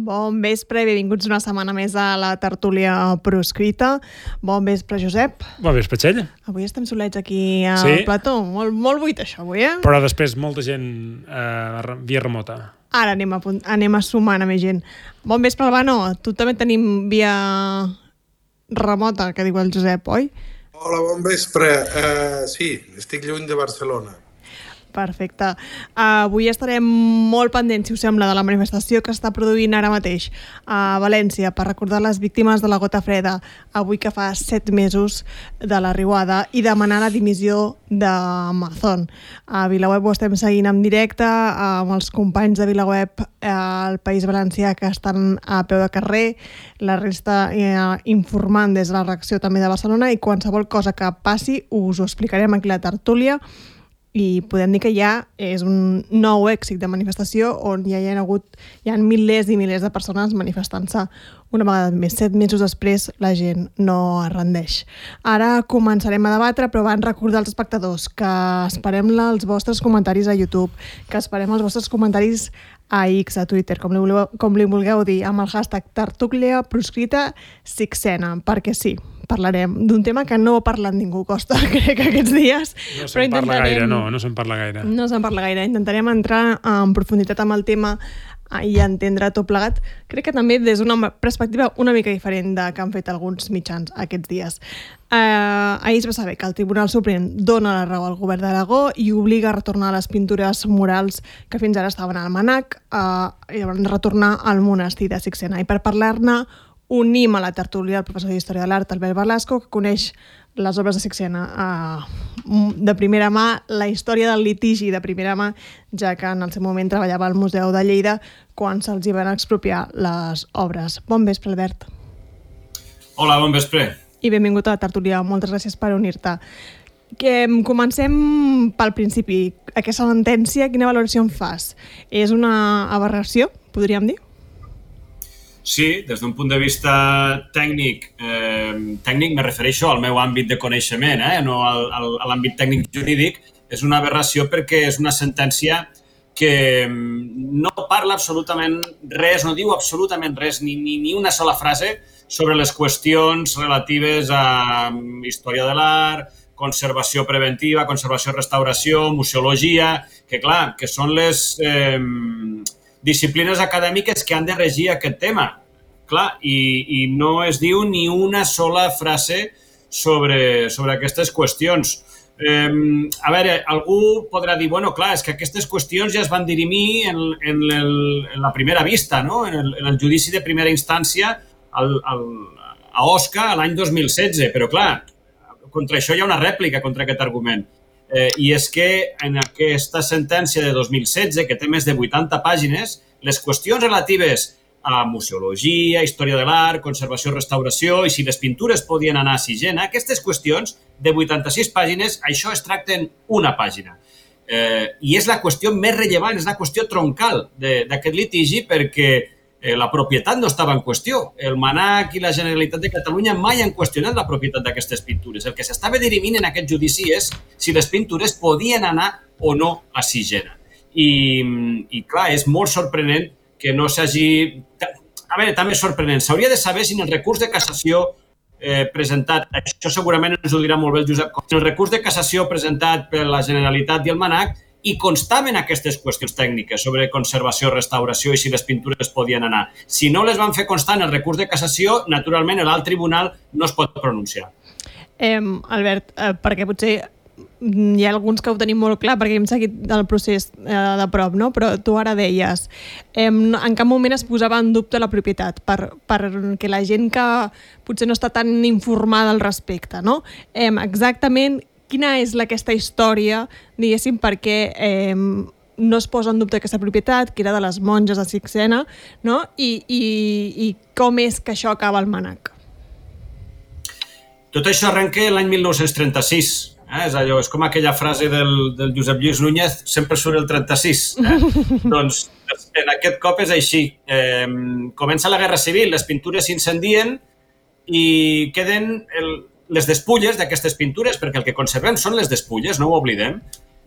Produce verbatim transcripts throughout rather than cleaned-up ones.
Bon vespre i benvinguts una setmana més a la tertúlia proscrita. Bon vespre, Josep. Bon vespre, Txell. Avui estem solets aquí al sí. plató. Molt, molt buit, això, avui, eh? Però després molta gent eh, via remota. Ara anem a, anem a sumar a més gent. Bon vespre, Albano. Tu també tenim via remota, que diu el Josep, oi? Hola, bon vespre. Uh, sí, estic lluny de Barcelona. Perfecte. Uh, avui estarem molt pendents, si us sembla, de la manifestació que està produint ara mateix a València per recordar les víctimes de la gota freda, avui que fa set mesos de la riuada, i demanar la dimissió d'Amazon. A VilaWeb ho estem seguint en directe amb els companys de VilaWeb al País Valencià que estan a peu de carrer, la resta eh, informant des de la reacció també de Barcelona, i qualsevol cosa que passi us ho explicarem aquí a la tertúlia. I podem dir que ja és un nou èxit de manifestació on ja hi ha hagut hi ha milers i milers de persones manifestant-se una vegada més. Set mesos després la gent no es rendeix. Ara començarem a debatre, però abans recordar als espectadors que esperem els vostres comentaris a YouTube, que esperem els vostres comentaris a X, a Twitter, com li vulgueu, com li vulgueu dir, amb el hashtag tertúlia proscrita sixena, perquè sí, parlarem d'un tema que no parla ningú, Costa, crec, aquests dies. No se'n parla gaire, no, no se'n parla gaire. No se'n parla gaire. Intentarem entrar en profunditat amb el tema i entendre tot plegat. Crec que també des d'una perspectiva una mica diferent de que han fet alguns mitjans aquests dies. Eh, ahir es va saber que el Tribunal Suprem dona la raó al govern d'Aragó i obliga a retornar les pintures murals que fins ara estaven al MNAC eh, i van retornar al monestir de Sixena. I per parlar-ne unim a la tertúlia el professor d'Història de l'Art, Albert Velasco, que coneix les obres de Sixena eh, de primera mà, la història del litigi de primera mà, ja que en el seu moment treballava al Museu de Lleida quan se'ls hi van expropiar les obres. Bon vespre, Albert. Hola, bon vespre. I benvingut a la tertúlia. Moltes gràcies per unir-te. Que comencem pel principi. Aquesta sentència, quina valoració en fas? És una aberració, podríem dir? Sí, des d'un punt de vista tècnic, eh, tècnic me refereixo al meu àmbit de coneixement, eh, no al, al, a l'àmbit tècnic jurídic, és una aberració perquè és una sentència que no parla absolutament res, no diu absolutament res, ni, ni, ni una sola frase sobre les qüestions relatives a història de l'art, conservació preventiva, conservació-restauració, museologia, que clar, que són les eh, disciplines acadèmiques que han de regir aquest tema. Clar, i, i no es diu ni una sola frase sobre, sobre aquestes qüestions. Eh, a veure, algú podrà dir, bueno, clar, és que aquestes qüestions ja es van dirimir en, en, el, en la primera vista, no? en, el, en el judici de primera instància al, al, a Osca l'any dos mil setze, però clar, contra això hi ha una rèplica contra aquest argument. Eh, I és que en aquesta sentència de dos mil setze, que té més de vuitanta pàgines, les qüestions relatives a museologia, història de l'art, conservació, restauració i si les pintures podien anar a Sigena, aquestes qüestions de vuitanta-sis pàgines, això es tracta en una pàgina. Eh, I és la qüestió més rellevant, és la qüestió troncal d'aquest litigi perquè eh, la propietat no estava en qüestió. El MNAC i la Generalitat de Catalunya mai han qüestionat la propietat d'aquestes pintures. El que s'estava dirimint en aquest judici és si les pintures podien anar o no a Sigena. I, i clar, és molt sorprenent que no s'hagi... A veure, també és sorprenent. S'hauria de saber si en el recurs de cassació eh, presentat, això segurament ens ho dirà molt bé el Josep, en el recurs de cassació presentat per la Generalitat i el MNAC hi constaven aquestes qüestions tècniques sobre conservació, restauració i si les pintures podien anar. Si no les van fer constar en el recurs de cassació, naturalment l'alt tribunal no es pot pronunciar. Eh, Albert, eh, perquè potser hi ha alguns que ho tenim molt clar perquè hem seguit el procés eh, de prop, no? Però tu ara deies, eh, en cap moment es posava en dubte la propietat per, perquè la gent que potser no està tan informada al respecte, no? Eh, exactament quina és aquesta història, diguéssim, perquè eh, no es posa en dubte aquesta propietat, que era de les monges de Sixena, no? I, i, i com és que això acaba al MNAC? Tot això arrenca l'any mil nou-cents trenta-sis. Eh? És, allò, és com aquella frase del, del Josep Lluís Núñez, sempre surt el trenta-sis. Eh? Doncs en aquest cop és així. Eh, comença la Guerra Civil, les pintures s'incendien i queden el, les despulles d'aquestes pintures, perquè el que conservem són les despulles, no ho oblidem.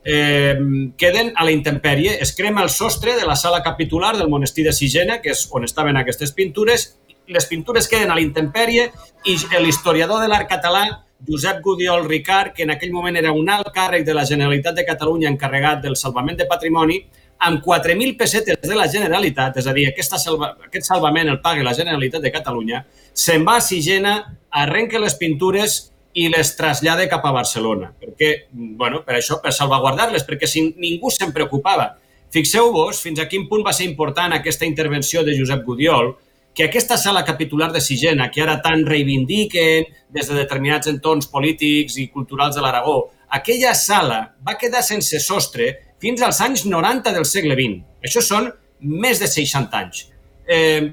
Eh, queden a la intempèrie, es crema el sostre de la sala capitular del monestir de Sigena, que és on estaven aquestes pintures. Les pintures queden a la intempèrie i l'historiador de l'art català, Josep Gudiol Ricard, que en aquell moment era un alt càrrec de la Generalitat de Catalunya encarregat del salvament de patrimoni, amb quatre mil pessetes de la Generalitat, és a dir, aquesta salva, aquest salvament el paga la Generalitat de Catalunya, se'n va a Sigena, arrenca les pintures i les trasllada cap a Barcelona. Perquè, bueno, per això, per salvaguardar-les, perquè si ningú se'n preocupava. Fixeu-vos fins a quin punt va ser important aquesta intervenció de Josep Gudiol, que aquesta sala capitular de Sigena, que ara tant reivindiquen des de determinats entorns polítics i culturals de l'Aragó, aquella sala va quedar sense sostre fins als anys noranta del segle vint. Això són més de seixanta anys. Eh,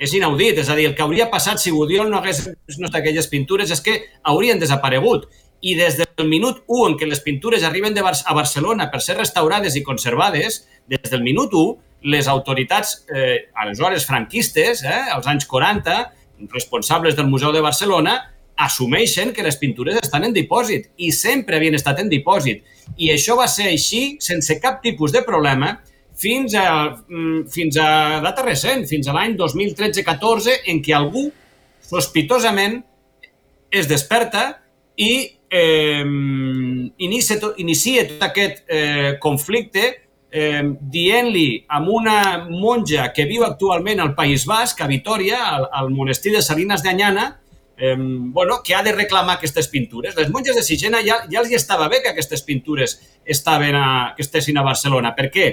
és inaudit, és a dir, el que hauria passat si Gudiol no hagués vist aquelles pintures és que haurien desaparegut. I des del minut u en què les pintures arriben de Bar- a Barcelona per ser restaurades i conservades, des del minut u, les autoritats, eh, aleshores franquistes, eh, als anys quaranta, responsables del Museu de Barcelona, assumeixen que les pintures estan en dipòsit i sempre havien estat en dipòsit. I això va ser així, sense cap tipus de problema, fins a, fins a data recent, fins a l'any dos mil tretze catorze, en què algú, sospitosament, es desperta i eh, inicia, tot, inicia tot aquest eh, conflicte eh, dient-li a una monja que viu actualment al País Basc, a Vitoria, al, al monestir de Salines d'Anyana, eh, bueno, que ha de reclamar aquestes pintures. Les monges de Sigena ja, ja els estava bé que aquestes pintures estaven a, que estessin a Barcelona. Per què?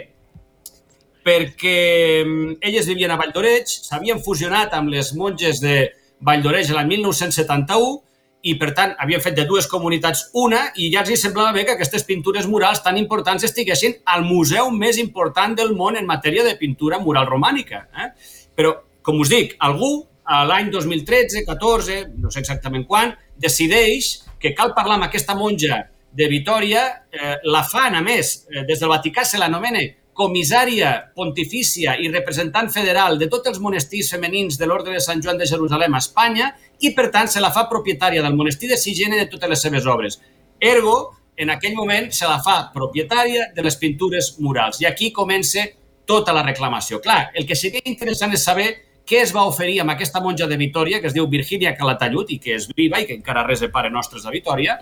Perquè elles vivien a Valldoreix, s'havien fusionat amb les monges de Valldoreix l'any mil nou-cents setanta-u i, per tant, havien fet de dues comunitats una i ja els semblava bé que aquestes pintures murals tan importants estiguessin al museu més important del món en matèria de pintura mural romànica. Eh? Però, com us dic, algú, a l'any dos mil tretze, catorze, no sé exactament quan, decideix que cal parlar amb aquesta monja de Vitòria, eh, la fan, a més, eh, des del Vaticà se l'anomena comissària pontifícia i representant federal de tots els monestirs femenins de l'Orde de Sant Joan de Jerusalem a Espanya i, per tant, se la fa propietària del monestir de Sigena i de totes les seves obres. Ergo, en aquell moment, se la fa propietària de les pintures murals. I aquí comença tota la reclamació. Clar, el que seria interessant és saber què es va oferir amb aquesta monja de Vitòria, que es diu Virgínia Calatayud i que és viva i que encara res de pare nostres a Vitòria,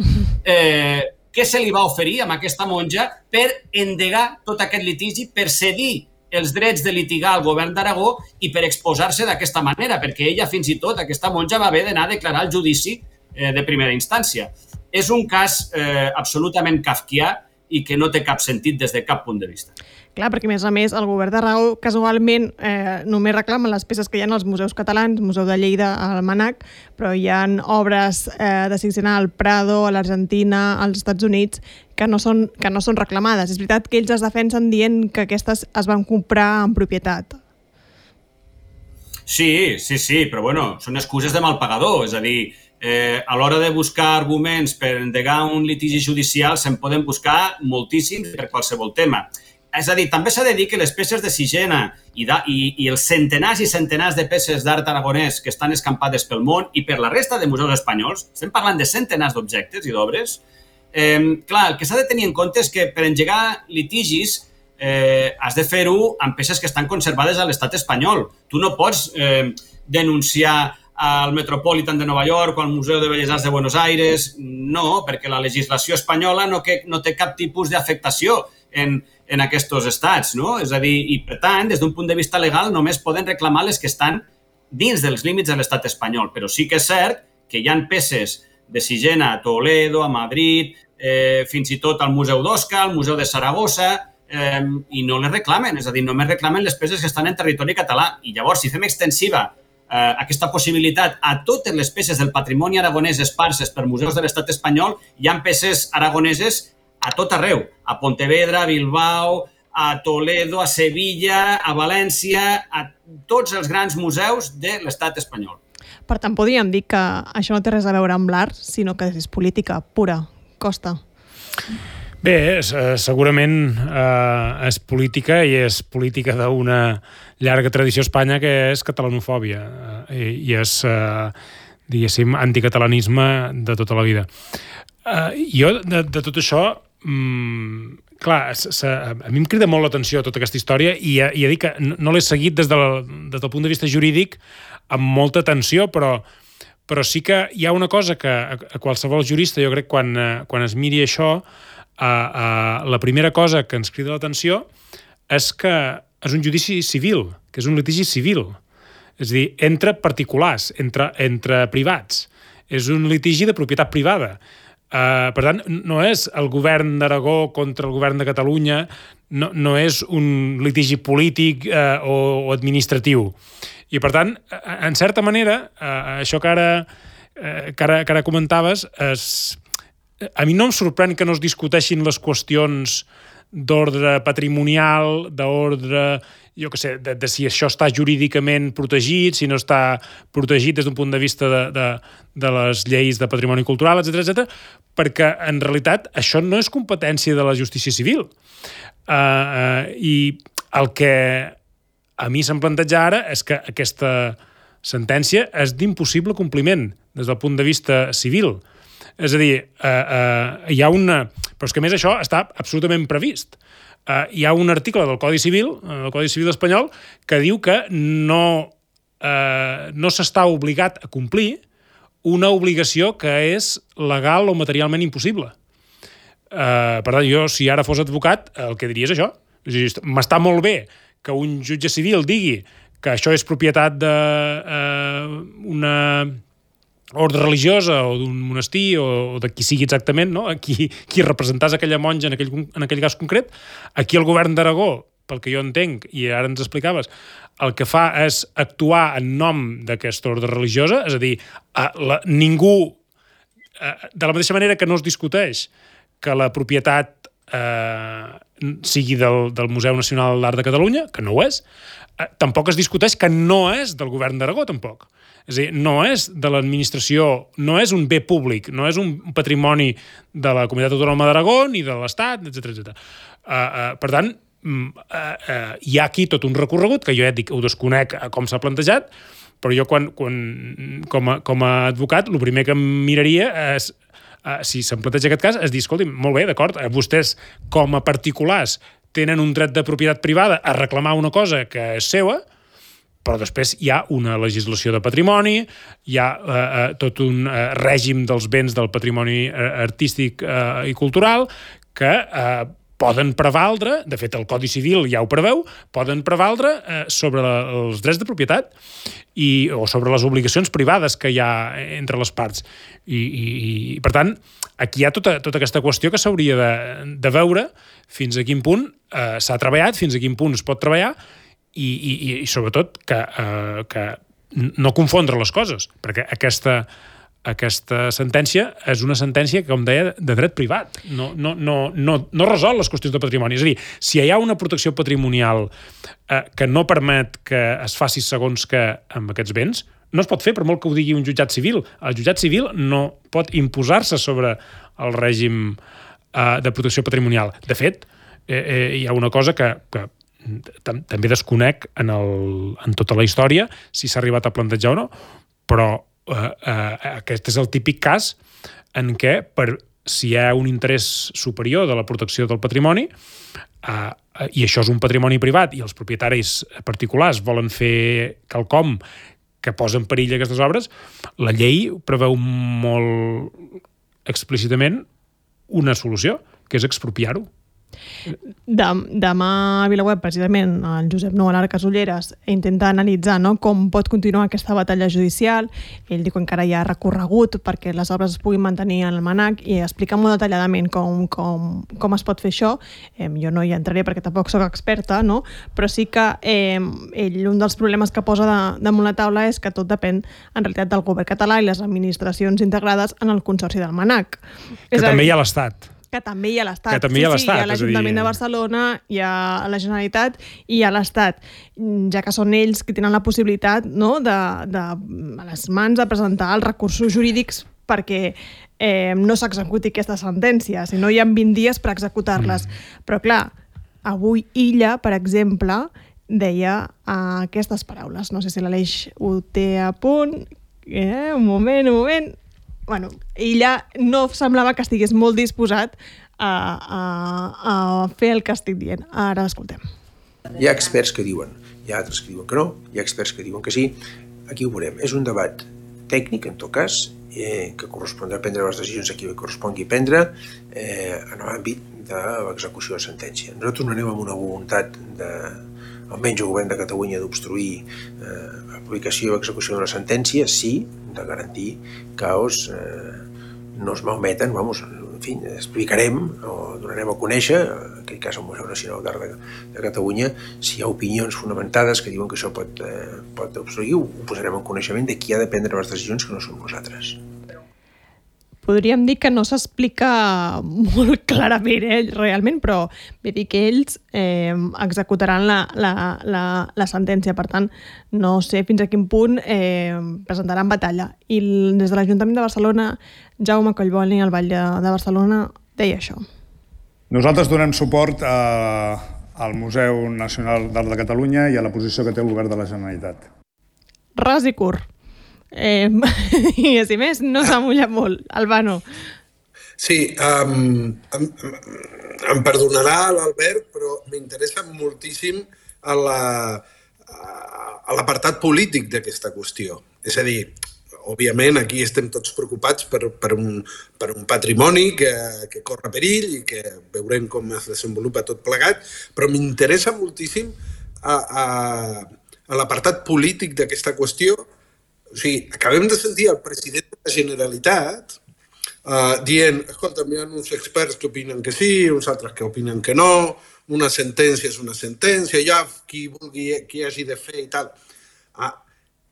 eh, què se li va oferir amb aquesta monja per endegar tot aquest litigi, per cedir els drets de litigar al govern d'Aragó i per exposar-se d'aquesta manera, perquè ella, fins i tot, aquesta monja va haver d'anar a declarar el judici eh, de primera instància. És un cas eh, absolutament kafkià i que no té cap sentit des de cap punt de vista. Clar, perquè a més a més el govern d'Aragó casualment eh, només reclama les peces que hi ha als museus catalans, Museu de Lleida, al Manac, però hi ha obres eh, de Sigena al Prado, a l'Argentina, als Estats Units, que no, són, que no són reclamades. És veritat que ells es defensen dient que aquestes es van comprar en propietat. Sí, sí, sí, però bueno, són excuses de mal pagador, és a dir, eh, a l'hora de buscar arguments per endegar un litigi judicial se'n poden buscar moltíssims per qualsevol tema. És a dir, també s'ha de dir que les peces de Sigena i, de, i, i els centenars i centenars de peces d'art aragonès que estan escampades pel món i per la resta de museus espanyols, estem parlant de centenars d'objectes i d'obres, eh, clar, el que s'ha de tenir en compte és que per engegar litigis eh, has de fer-ho amb peces que estan conservades a l'estat espanyol. Tu no pots eh, denunciar al Metropolitan de Nova York o al Museu de Belles Arts de Buenos Aires, no, perquè la legislació espanyola no, que, no té cap tipus d'afectació en, en aquests estats, no? És a dir, i per tant, des d'un punt de vista legal, només poden reclamar les que estan dins dels límits de l'estat espanyol. Però sí que és cert que hi ha peces de Sigena a Toledo, a Madrid, eh, fins i tot al Museu d'Osca, al Museu de Saragossa, eh, i no les reclamen, és a dir, només reclamen les peces que estan en territori català. I llavors, si fem extensiva eh, aquesta possibilitat a totes les peces del patrimoni aragonès esparses per museus de l'estat espanyol, hi ha peces aragoneses a tot arreu, a Pontevedra, a Bilbao, a Toledo, a Sevilla, a València, a tots els grans museus de l'estat espanyol. Per tant, podríem dir que això no té res a veure amb l'art, sinó que és política pura, costa? Bé, segurament eh, és política i és política d'una llarga tradició a Espanya que és catalanofòbia eh, i és, eh, diguéssim, anticatalanisme de tota la vida. Eh, jo, de, de tot això, mm, clar, s, s, a mi em crida molt l'atenció tota aquesta història i ja, ja dic que no, no l'he seguit des, de la, des del punt de vista jurídic amb molta atenció, però, però sí que hi ha una cosa que a, a qualsevol jurista, jo crec, quan, quan es miri això, Uh, uh, la primera cosa que ens crida l'atenció és que és un judici civil, que és un litigi civil. És a dir, entre particulars, entre, entre privats. És un litigi de propietat privada. Uh, per tant, no és el govern d'Aragó contra el govern de Catalunya, no, no és un litigi polític uh, o, o administratiu. I, per tant, en certa manera, uh, això que ara, uh, que ara, que ara comentaves és... A mi no em sorprèn que no es discuteixin les qüestions d'ordre patrimonial, d'ordre, jo què sé, de, de si això està jurídicament protegit, si no està protegit des d'un punt de vista de, de, de les lleis de patrimoni cultural, etcètera, etcètera, perquè en realitat això no és competència de la justícia civil. Uh, uh, I el que a mi se'm planteja ara és que aquesta sentència és d'impossible compliment des del punt de vista civil. És a dir, eh, eh, hi ha una... Però és que a més això està absolutament previst. Eh, hi ha un article del Codi Civil, el Codi Civil espanyol, que diu que no, eh, no s'està obligat a complir una obligació que és legal o materialment impossible. Eh, per tant, jo, si ara fos advocat, el que diria és això. És a dir, m'està molt bé que un jutge civil digui que això és propietat d'una... Eh, ordre religiosa o d'un monestir o de qui sigui exactament, no? qui, qui representàs aquella monja en aquell, en aquell cas concret. Aquí el govern d'Aragó, pel que jo entenc, i ara ens explicaves, el que fa és actuar en nom d'aquesta ordre religiosa, és a dir, a la, ningú, a, de la mateixa manera que no es discuteix que la propietat eh, sigui del, del Museu Nacional d'Art de Catalunya, que no ho és, eh, tampoc es discuteix que no és del govern d'Aragó, tampoc. És a dir, no és de l'administració, no és un bé públic, no és un patrimoni de la Comunitat Autònoma d'Aragó ni de l'Estat, etcètera, etcètera. Uh, uh, per tant, uh, uh, hi ha aquí tot un recorregut que jo ja et dic, ho desconec com s'ha plantejat, però jo quan, quan, com, a, com a advocat el primer que em miraria és, uh, si se'm planteja aquest cas, és dir, escolti, molt bé, d'acord, vostès com a particulars tenen un dret de propietat privada a reclamar una cosa que és seva, però després hi ha una legislació de patrimoni, hi ha eh, eh, tot un eh, règim dels béns del patrimoni eh, artístic eh, i cultural que eh, poden prevaldre, de fet el Codi Civil ja ho preveu, poden prevaldre eh, sobre la, els drets de propietat i, o sobre les obligacions privades que hi ha entre les parts. I, i, i per tant, aquí hi ha tota, tota aquesta qüestió que s'hauria de, de veure fins a quin punt eh, s'ha treballat, fins a quin punt es pot treballar, I, i, i sobretot que, uh, que no confondre les coses, perquè aquesta, aquesta sentència és una sentència, com deia, de dret privat. No, no, no, no, no resol les qüestions de patrimoni. És a dir, si hi ha una protecció patrimonial uh, que no permet que es faci segons que amb aquests béns, no es pot fer per molt que ho digui un jutjat civil. El jutjat civil no pot imposar-se sobre el règim uh, de protecció patrimonial. De fet, eh, eh, hi ha una cosa que... que també desconec en, el, en tota la història si s'ha arribat a plantejar o no, però eh, eh, aquest és el típic cas en què per, si hi ha un interès superior de la protecció del patrimoni eh, i això és un patrimoni privat i els propietaris particulars volen fer quelcom que posa en perill aquestes obres, la llei preveu molt explícitament una solució, que és expropiar-ho. Demà a VilaWeb, precisament, el Josep Nou a l'Arc Casolleres intenta analitzar, no?, com pot continuar aquesta batalla judicial. Ell diu que encara hi ha recorregut perquè les obres es puguin mantenir en el MNAC i explica molt detalladament com, com, com es pot fer això. Eh, jo no hi entraré perquè tampoc soc experta, no?, però sí que eh, ell, un dels problemes que posa de, damunt la taula és que tot depèn en realitat del govern català i les administracions integrades en el Consorci del MNAC. Que també hi ha l'Estat. Que també hi ha l'Estat. Que també hi ha l'Estat. Sí, sí, hi ha l'Ajuntament de Barcelona, hi ha la Generalitat i hi ha l'Estat, ja que són ells que tenen la possibilitat, no?, de, de, a les mans de presentar els recursos jurídics perquè eh, no s'executi aquesta sentència, si no hi ha vint dies per executar-les. Mm. Però clar, avui Illa, per exemple, deia uh, aquestes paraules. No sé si l'Aleix ho té a punt. Eh, un moment, un moment. Bueno, Illa no semblava que estigués molt disposat a, a, a fer el que estic dient. Ara l'escoltem. Hi ha experts que diuen, hi ha altres que diuen que no, hi ha experts que diuen que sí. Aquí ho veurem. És un debat tècnic, en tot cas, eh, que correspondrà prendre les decisions a qui correspongui prendre eh, en l'àmbit de l'execució de sentència. Nosaltres no anem amb una voluntat de, almenys el govern de Catalunya, d'obstruir eh, l'aplicació i execució de la sentència, sí, de garantir que els, eh, no es malmeten, vamos, en fi, explicarem o donarem a conèixer, en aquest cas al Museu Nacional d'Art de, de Catalunya, si hi ha opinions fonamentades que diuen que això pot, eh, pot obstruir, ho posarem en coneixement de qui ha de prendre les decisions, que no som nosaltres. Podríem dir que no s'explica molt clarament, eh, realment, però vull dir que ells eh, executaran la, la, la, la sentència. Per tant, no sé fins a quin punt eh, presentaran batalla. I des de l'Ajuntament de Barcelona, Jaume Collboni, al Vall de, de Barcelona, deia això. Nosaltres donem suport a, al Museu Nacional d'Art de Catalunya i a la posició que té el Govern de la Generalitat. Ras i curt. Eh, I a si més, no s'ha mullat molt. Albano. Sí, um, em, em perdonarà l'Albert, però m'interessa moltíssim a la, a l'apartat polític d'aquesta qüestió. És a dir, òbviament aquí estem tots preocupats per, per, un, per un patrimoni que, que corre perill i que veurem com es desenvolupa tot plegat, però m'interessa moltíssim a, a, a l'apartat polític d'aquesta qüestió. O sigui, acabem de sentir el president de la Generalitat uh, dient, escolta, hi ha uns experts que opinen que sí, uns altres que opinen que no, una sentència és una sentència, ja qui vulgui, qui hagi de fer i tal. Ah,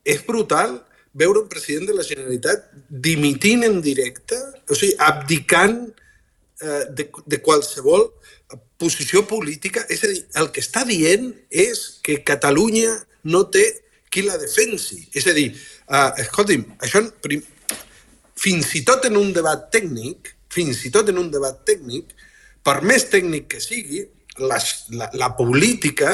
és brutal veure un president de la Generalitat dimitint en directe, o sigui, abdicant uh, de, de qualsevol posició política. És a dir, el que està dient és que Catalunya no té qui la defensi. És a dir, uh, escolti'm, això prim, fins i tot en un debat tècnic, fins i tot en un debat tècnic, per més tècnic que sigui, la, la, la política,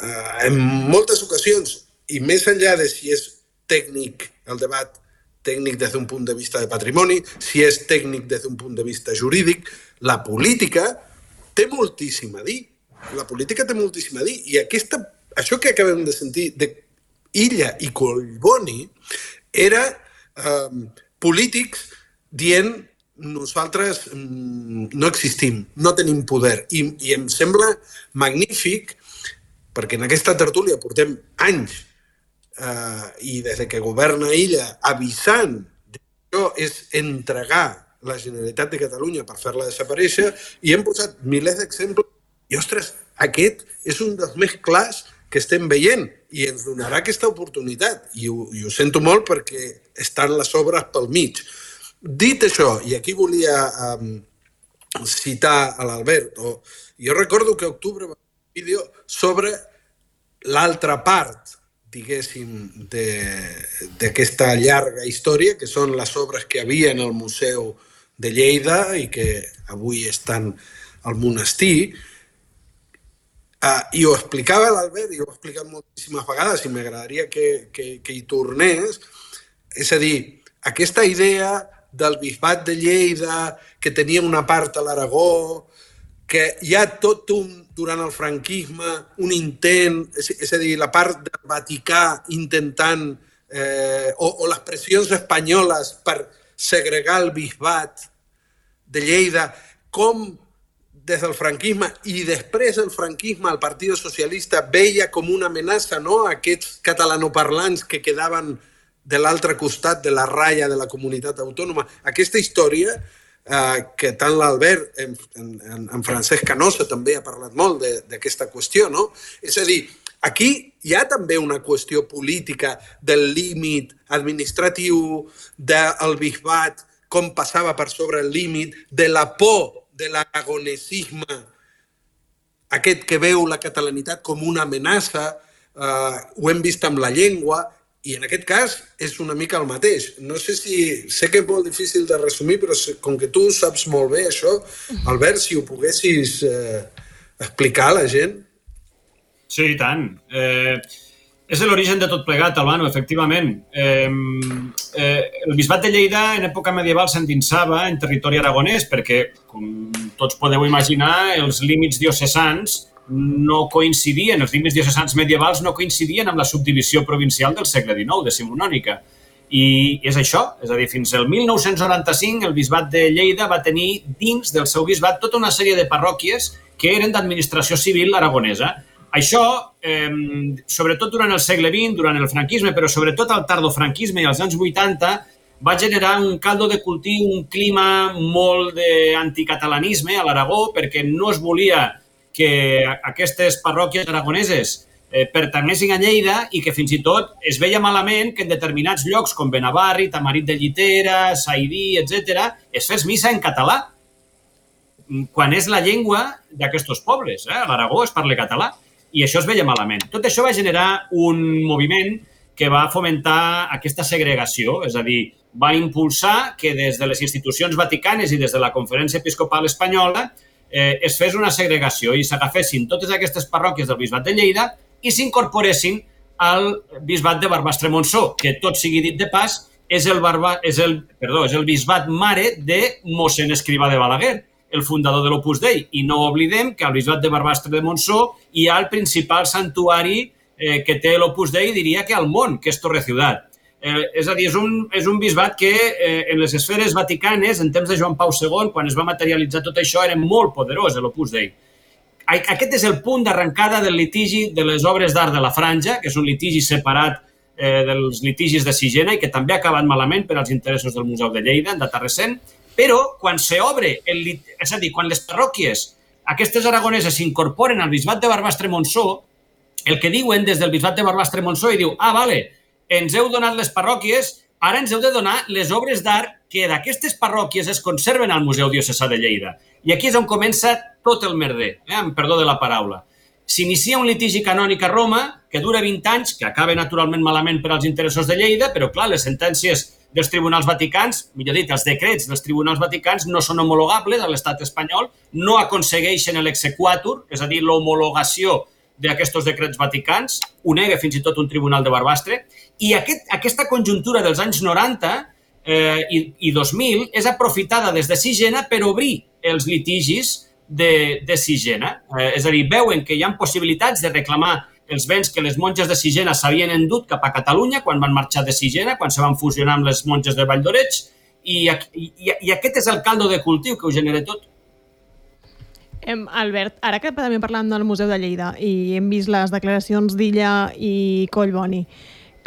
uh, en moltes ocasions, i més enllà de si és tècnic, el debat tècnic des d'un punt de vista de patrimoni, si és tècnic des d'un punt de vista jurídic, la política té moltíssim a dir. La política té moltíssim a dir. I aquesta, això que acabem de sentir de Illa i Collboni era eh, polítics dient nosaltres mm, no existim, no tenim poder. I, i em sembla magnífic perquè en aquesta tertúlia portem anys eh, i des que governa Illa avisant que això és entregar la Generalitat de Catalunya per fer-la desaparèixer i hem posat milers d'exemples i, ostres, aquest és un dels més clars que estem veient i ens donarà aquesta oportunitat i ho, i ho sento molt perquè estan les obres pel mig. Dit això, i aquí volia um, citar a l'Albert, o, jo recordo que a octubre va fer un vídeo sobre l'altra part, diguéssim, d'aquesta llarga història, que són les obres que havia en el Museu de Lleida i que avui estan al monestir. Uh, I ho explicava l'Albert, i ho he explicat moltíssimes vegades, i m'agradaria que, que, que hi tornés. És a dir, aquesta idea del bisbat de Lleida, que tenia una part a l'Aragó, que hi ha tot un, durant el franquisme, un intent, és, és a dir, la part del Vaticà intentant, eh, o, o les pressions espanyoles per segregar el bisbat de Lleida, com des del franquisme i després del franquisme el Partit Socialista veia com una amenaça, no?, aquests catalanoparlants que quedaven de l'altre costat de la ratlla de la comunitat autònoma. Aquesta història, eh, que tant l'Albert, en, en, en Francesc Canosa també ha parlat molt d'aquesta qüestió, no? És a dir, aquí hi ha també una qüestió política del límit administratiu, del bisbat, com passava per sobre el límit, de la por de l'aragonesisme, aquest que veu la catalanitat com una amenaça, eh, ho hem vist amb la llengua, I en aquest cas és una mica el mateix. No sé si... Sé que és molt difícil de resumir, però com que tu saps molt bé això, Albert, si ho poguessis eh, explicar a la gent. Sí, i tant. Eh, és l'origen de tot plegat, Albano, efectivament. Eh, eh, el bisbat de Lleida en època medieval s'endinsava en territori aragonès perquè, com tots podeu imaginar, els límits diocesans no coincidien, els límits diocesans medievals no coincidien amb la subdivisió provincial del segle dinou, decimonònica. I és això, és a dir, fins al mil nou-cents noranta-cinc el bisbat de Lleida va tenir dins del seu bisbat tota una sèrie de parròquies que eren d'administració civil aragonesa. Això, eh, sobretot durant el segle vint, durant el franquisme, però sobretot al tardofranquisme i als anys vuitanta, va generar un caldo de cultiu, un clima molt d'anticatalanisme a l'Aragó, perquè no es volia que aquestes parròquies aragoneses eh, pertanguessin a Lleida i que fins i tot es veia malament que en determinats llocs com Benavarri, Tamarit de Llitera, Saidí, etcètera, es fes missa en català, quan és la llengua d'aquests pobles. Eh? A l'Aragó es parla català i això es veia malament. Tot això va generar un moviment que va fomentar aquesta segregació, és a dir, va impulsar que des de les institucions vaticanes i des de la Conferència Episcopal Espanyola eh, es fes una segregació i s'agafessin totes aquestes parròquies del bisbat de Lleida i s'incorporessin al bisbat de Barbastre-Montsó, que tot sigui dit de pas, és el, barba, és el, perdó, és el bisbat mare de mossèn Escrivà de Balaguer, el fundador de l'Opus Dei. I no oblidem que al bisbat de Barbastre de Montsó hi ha el principal santuari eh, que té l'Opus Dei, diria que al món, que és Torreciudat. Eh, és a dir, és un, és un bisbat que eh, en les esferes vaticanes, en temps de Joan Pau segon, quan es va materialitzar tot això, era molt poderós, l'Opus Dei. Aquest és el punt d'arrencada del litigi de les obres d'art de la Franja, que és un litigi separat eh, dels litigis de Sigena i que també ha acabat malament per als interessos del Museu de Lleida, en data recent, però quan s'obre, és a dir, quan les parròquies, aquestes aragoneses, s'incorporen al bisbat de Barbastre-Montsó, el que diuen des del bisbat de Barbastre-Montsó i diu, ah, vale, ens heu donat les parròquies, ara ens heu de donar les obres d'art que d'aquestes parròquies es conserven al Museu Diocesà de Lleida. I aquí és on comença tot el merder, eh? amb perdó de la paraula. S'inicia un litigi canònic a Roma que dura vint anys, que acaba naturalment malament per als interessos de Lleida, però clar, les sentències dels tribunals vaticans, millor dit, els decrets dels tribunals vaticans no són homologables a l'estat espanyol, no aconsegueixen l'exequatur, és a dir, l'homologació d'aquests decrets vaticans, ho nega fins i tot un tribunal de Barbastre, i aquest, aquesta conjuntura dels anys noranta eh, i, i dos mil és aprofitada des de Sigena per obrir els litigis de, de Sigena. Eh, és a dir, veuen que hi ha possibilitats de reclamar els béns que les monges de Sigena s'havien endut cap a Catalunya quan van marxar de Sigena, quan se van fusionar amb les monges de Valldoreix, i, i, i aquest és el caldo de cultiu que ho genera tot. Em, Albert, ara que també parlem del Museu de Lleida i hem vist les declaracions d'Illa i Collboni,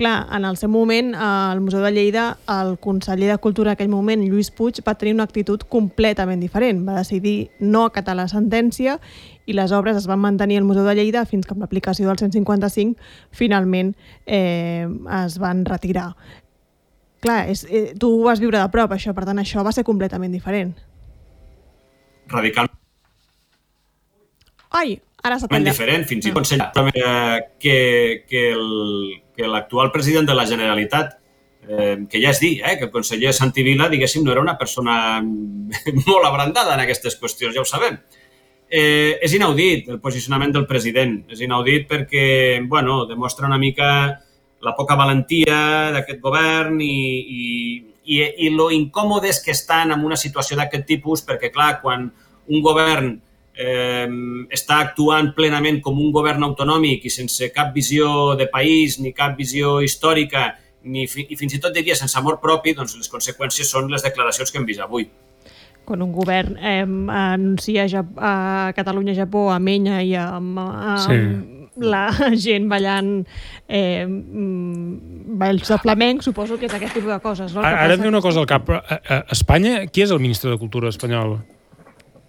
clar, en el seu moment, al Museu de Lleida, el conseller de Cultura d'aquell moment, Lluís Puig, va tenir una actitud completament diferent. Va decidir no acatar la sentència i les obres es van mantenir al Museu de Lleida fins que amb l'aplicació del cent cinquanta-cinc finalment eh, es van retirar. Clar, és, eh, tu ho vas viure de prop, això, per tant, això va ser completament diferent. Radicalment. Ai, ara s'ha tallat. Diferent, fins i tot eh, que, que, el, que l'actual president de la Generalitat, eh, que ja és dir, eh, que el conseller Santi Vila, diguéssim, no era una persona molt abrandada en aquestes qüestions, ja ho sabem. Eh, és inaudit el posicionament del president, és inaudit perquè, bueno, demostra una mica la poca valentia d'aquest govern i, i, i, i lo incòmodes que estan en una situació d'aquest tipus, perquè, clar, quan un govern Eh, està actuant plenament com un govern autonòmic i sense cap visió de país ni cap visió històrica ni fi, i fins i tot diria sense amor propi, doncs les conseqüències són les declaracions que hem vist avui. Quan un govern eh, anuncia a Catalunya, Japó, a Menya i amb, amb sí. la gent ballant eh, balls de flamenc, suposo que és aquest tipus de coses. No? Ara em ve una cosa al cap. A, a Espanya, qui és el ministre de Cultura espanyol?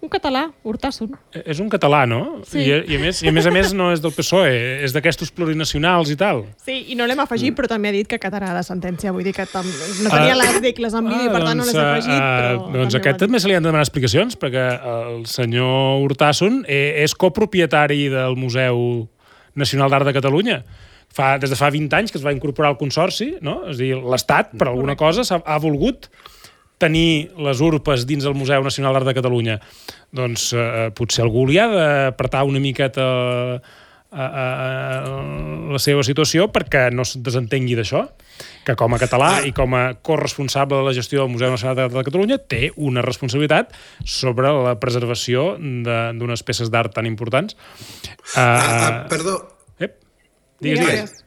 Un català, Urtasun. És un català, no? Sí. I, i, a més, I a més a més no és del P S O E, és d'aquestos plurinacionals i tal. Sí, i no l'hem afegit, però també ha dit que acatarà la sentència. Vull dir que tam... no tenia uh, les decles en vídeo, uh, per tant no les he afegit, però... Uh, doncs aquest també se li han de demanar explicacions, perquè el senyor Urtasun és copropietari del Museu Nacional d'Art de Catalunya. fa, des de fa vint anys que es va incorporar al Consorci, no? És a dir, l'Estat, per alguna cosa, ha, ha volgut tenir les urpes dins del Museu Nacional d'Art de Catalunya. Doncs eh, potser algú li ha d'apretar una miqueta a, a, a la seva situació perquè no es desentengui d'això, que com a català i com a corresponsable de la gestió del Museu Nacional d'Art de Catalunya té una responsabilitat sobre la preservació d'unes peces d'art tan importants. Uh, ah, ah, perdó. Ep, digues, digues.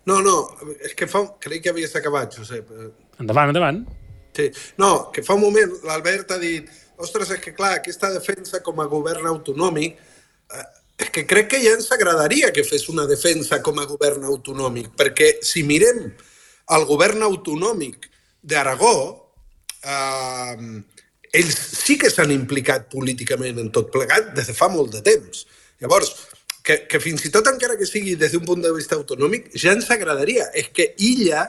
No, no, és que fa... crec que havies acabat, Josep. Endavant, endavant. Sí. No, que fa un moment l'Albert ha dit ostres, és que clar, aquesta defensa com a govern autonòmic, eh, és que crec que ja ens agradaria que fes una defensa com a govern autonòmic, perquè si mirem el govern autonòmic d'Aragó, eh, ells sí que s'han implicat políticament en tot plegat des de fa molt de temps. Llavors, que, que fins i tot encara que sigui des d'un punt de vista autonòmic, ja ens agradaria. És que Illa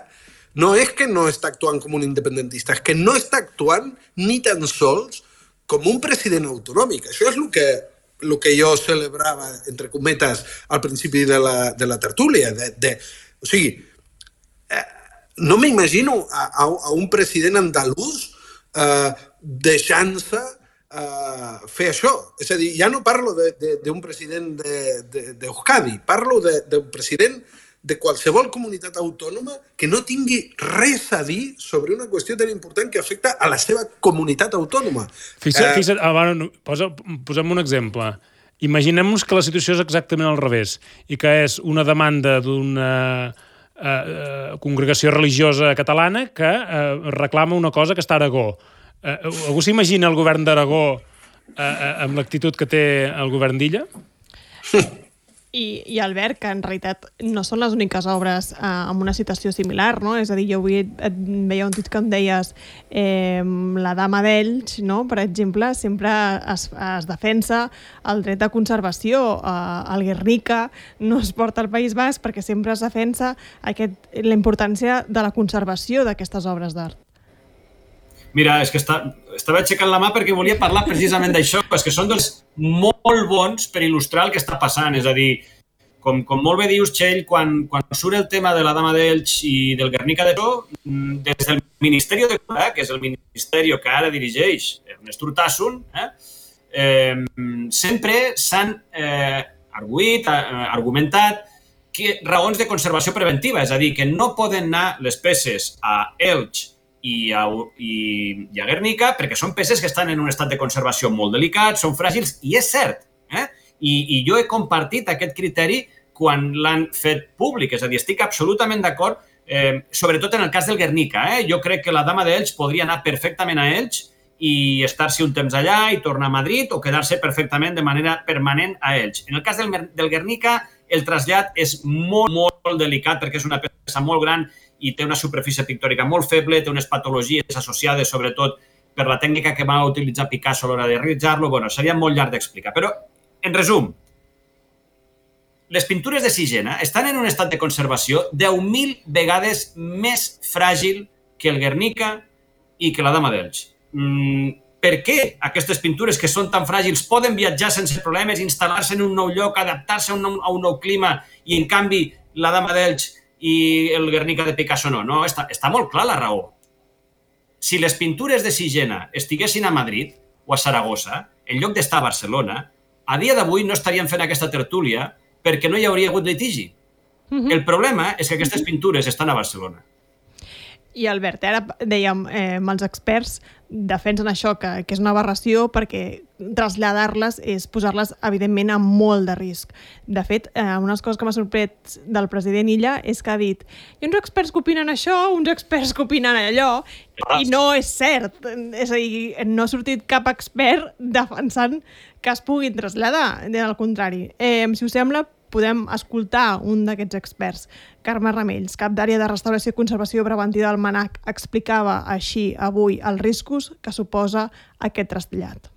no és que no està actuant com un independentista, és que no està actuant ni tan sols com un president autonòmic. Això és el que, el que jo celebrava, entre cometes, al principi de la, de la tertúlia. De, de, o sigui, eh, no m'imagino a, a, a un president andalús eh, deixant-se eh, fer això. És a dir, ja no parlo d'un president d'Euskadi, parlo d'un president de qualsevol comunitat autònoma que no tingui res a dir sobre una qüestió tan important que afecta a la seva comunitat autònoma. Fixa't, fixa't, bueno, posa, posem un exemple. Imaginem-nos que la situació és exactament al revés i que és una demanda d'una eh, congregació religiosa catalana que eh, reclama una cosa que està a Aragó. Eh, algú s'imagina el govern d'Aragó eh, amb l'actitud que té el govern d'Illa? I, i Albert, que en realitat no són les úniques obres eh, amb una situació similar, no? És a dir, jo avui et, et veia un tuit que em deies eh, la Dama d'Elx, no? Per exemple, sempre es, es defensa el dret de conservació. Eh, el Guernica no es porta al País Basc perquè sempre es defensa aquest, la importància de la conservació d'aquestes obres d'art. Mira, és que està, estava aixecant la mà perquè volia parlar precisament d'això, és que són dels molt bons per il·lustrar el que està passant. És a dir, com, com molt bé dius, Txell, quan, quan surt el tema de la Dama d'Elx i del Guernica de Pro, des del Ministeri de Cultura, que és el ministeri que ara dirigeix Ernest Urtasun, eh, eh, sempre s'han eh, arguït, eh, argumentat que raons de conservació preventiva, és a dir, que no poden anar les peces a Elx i a, i, i a Guernica perquè són peces que estan en un estat de conservació molt delicat, són fràgils, i és cert. Eh? I, I jo he compartit aquest criteri quan l'han fet públic, és a dir, estic absolutament d'acord, eh, sobretot en el cas del Guernica. Eh? Jo crec que la Dama d'Elx podria anar perfectament a Elx i estar-se un temps allà i tornar a Madrid o quedar-se perfectament de manera permanent a Elx. En el cas del, del Guernica, el trasllat és molt, molt delicat perquè és una peça molt gran i té una superfície pictòrica molt feble, té unes patologies associades sobretot per la tècnica que va utilitzar Picasso a l'hora de realitzar-lo. Bueno, seria molt llarg d'explicar. Però, en resum, les pintures de Sigena estan en un estat de conservació deu mil vegades més fràgil que el Guernica i que la Dama d'Elx. Mm, per què aquestes pintures que són tan fràgils poden viatjar sense problemes, instal·lar-se en un nou lloc, adaptar-se a un nou, a un nou clima i, en canvi, la Dama d'Elx i el Guernica de Picasso no? No, està, està molt clar la raó. Si les pintures de Sigena estiguessin a Madrid o a Saragossa, en lloc d'estar a Barcelona, a dia d'avui no estaríem fent aquesta tertúlia perquè no hi hauria hagut litigi. Uh-huh. El problema és que aquestes pintures estan a Barcelona. I Albert, ara dèiem, eh, els experts defensen això, que, que és una aberració perquè traslladar-les és posar-les, evidentment, amb molt de risc. De fet, eh, unes coses que m'ha sorprès del president Illa és que ha dit hi ha uns experts que opinen això, uns experts que opinen allò, i no és cert. És a dir, no ha sortit cap expert defensant que es puguin traslladar, al contrari. Eh, si us sembla, podem escoltar un d'aquests experts. Carme Ramells, cap d'àrea de restauració i conservació preventiva del MANAC, explicava així avui els riscos que suposa aquest trasllat.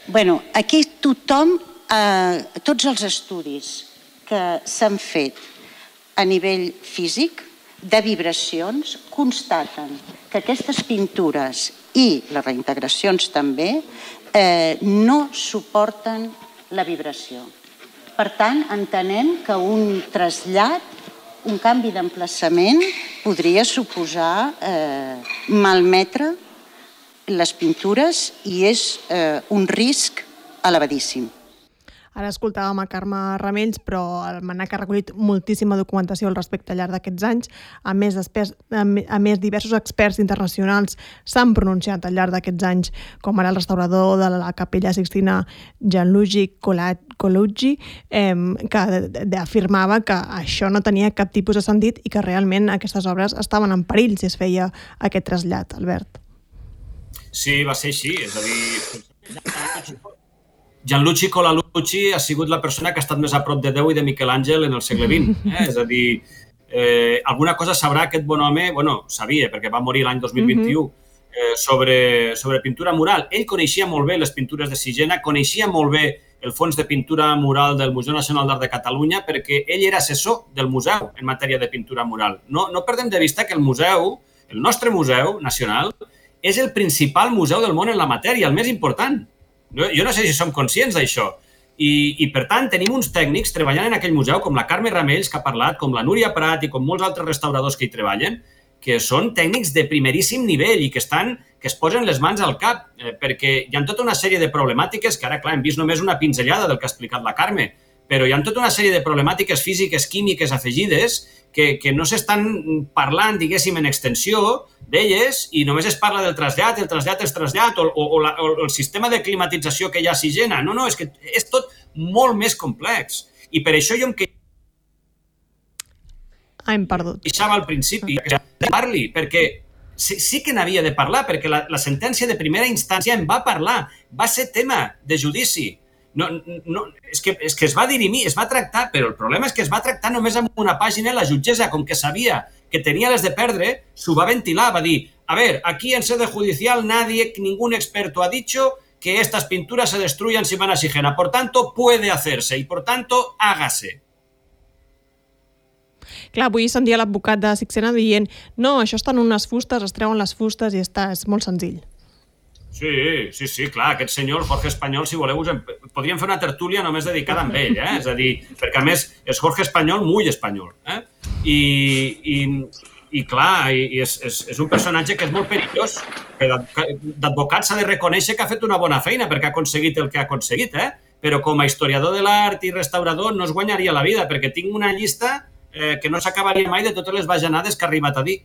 Bueno, aquí tothom, eh, tots els estudis que s'han fet a nivell físic, de vibracions, constaten que aquestes pintures i les reintegracions també eh, no suporten la vibració. Per tant, entenem que un trasllat un canvi d'emplaçament podria suposar eh, malmetre les pintures i és eh, un risc elevadíssim. Ara escoltàvem a Carme Ramells, però el MANAC ha recollit moltíssima documentació al respecte al llarg d'aquests anys. A més, experts, a més, diversos experts internacionals s'han pronunciat al llarg d'aquests anys, com ara el restaurador de la Capella Sixtina, Gianluigi Colucci, eh, que afirmava que això no tenia cap tipus de sentit i que realment aquestes obres estaven en perill si es feia aquest trasllat, Albert. Sí, va ser així. És a dir, Gianluigi Colucci ha sigut la persona que ha estat més a prop de Déu i de Miquel Àngel en el segle vint. Eh? És a dir, eh, alguna cosa sabrà aquest bon home, bueno, sabia, perquè va morir l'any dos mil vint-i-u, eh, sobre, sobre pintura mural. Ell coneixia molt bé les pintures de Sigena, coneixia molt bé el fons de pintura mural del Museu Nacional d'Art de Catalunya, perquè ell era assessor del museu en matèria de pintura mural. No, no perdem de vista que el museu, el nostre museu nacional, és el principal museu del món en la matèria, el més important. Jo no sé si som conscients d'això. I, I, per tant, tenim uns tècnics treballant en aquell museu, com la Carme Ramells, que ha parlat, com la Núria Prat i com molts altres restauradors que hi treballen, que són tècnics de primeríssim nivell i que estan que es posen les mans al cap, eh, perquè hi ha tota una sèrie de problemàtiques que ara, clar, hem vist només una pinzellada del que ha explicat la Carme, però hi ha tota una sèrie de problemàtiques físiques, químiques afegides que, que no s'estan parlant, diguéssim, en extensió d'elles i només es parla del trasllat, el trasllat és trasllat o, o, o, la, o el sistema de climatització que hi ha a Sigena. No, no, és que és tot molt més complex. I per això jo em queixava... Ah, hem perdut. Queixava al principi que parli, perquè sí, sí que n'havia de parlar, perquè la, la sentència de primera instància en va parlar, va ser tema de judici. No, no, és, que, és que es va dirimir, es va tractar, però el problema és que es va tractar només amb una pàgina. La jutgessa, com que sabia que tenia les de perdre, s'ho va ventilar, va dir, a ver, aquí en sede judicial nadie, ningún experto ha dicho que estas pinturas se destruyan si van a Sigena, por tanto puede hacerse y por tanto hágase. Clar, avui sentia l'advocat de Sixena dient no, això estan unes fustes, es treuen les fustes i està, és molt senzill. Sí, sí, sí, clar, aquest senyor, Jorge Espanyol, si voleu, podríem fer una tertúlia només dedicada a ell, eh? És a dir, perquè a més és Jorge Espanyol, muy espanyol, eh? I, i, i clar, i és, és, és un personatge que és molt perillós, que d'advocat s'ha de reconèixer que ha fet una bona feina perquè ha aconseguit el que ha aconseguit, eh? Però com a historiador de l'art i restaurador no es guanyaria la vida, perquè tinc una llista eh, que no s'acabaria mai de totes les bajanades que ha arribat a dir.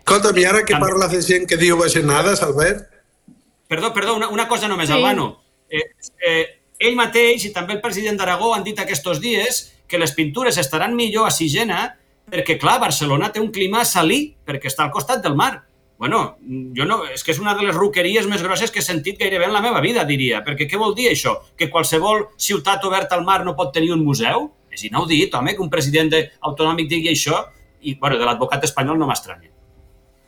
Escolta'm, i ara que parles de gent que diu bajanades, Albert? Perdó, perdó, una, una cosa només, sí. Albano. Eh, eh, ell mateix i també el president d'Aragó han dit aquests dies que les pintures estaran millor a Sigena perquè, clar, Barcelona té un clima salí perquè està al costat del mar. Bueno, jo no, és que és una de les ruqueries més grosses que he sentit gairebé en la meva vida, diria. Perquè què vol dir això? Que qualsevol ciutat oberta al mar no pot tenir un museu? És inaudit, home, que un president autonòmic digui això i, bueno, de l'advocat espanyol no m'estranya.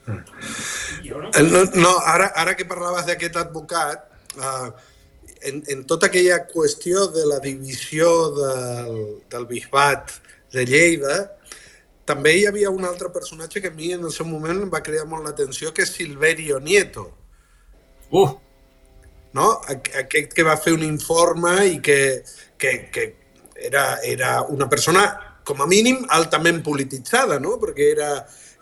No, no ara, ara que parlaves d'aquest advocat, uh, en, en tota aquella qüestió de la divisió del, del bisbat de Lleida, també hi havia un altre personatge que a mi en el seu moment em va cridar molt l'atenció, que és Silverio Nieto. Uh! No? Aquest que va fer un informe i que, que, que era, era una persona, com a mínim, altament polititzada, no? Perquè era...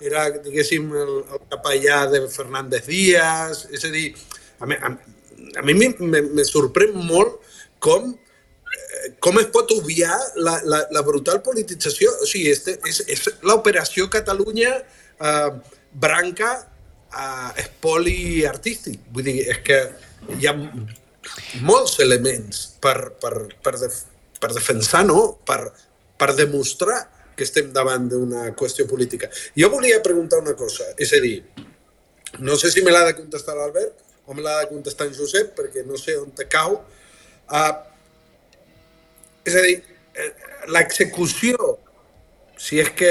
era, diguéssim, el, el capellà de Fernández Díaz, és a dir, a mi, a, a mi me, me sorprèn molt com, eh, com es pot obviar la, la, la brutal politització. O sigui, este, és, és l'operació Catalunya eh, branca eh, espoli artístic. Vull dir, és que hi ha molts elements per, per, per, def, per defensar, no? Per, per demostrar que estem davant d'una qüestió política. Jo volia preguntar una cosa, és a dir, no sé si me l'ha de contestar l'Albert o me l'ha de contestar en Josep, perquè no sé on te cau. Uh, és a dir, l'execució, si és que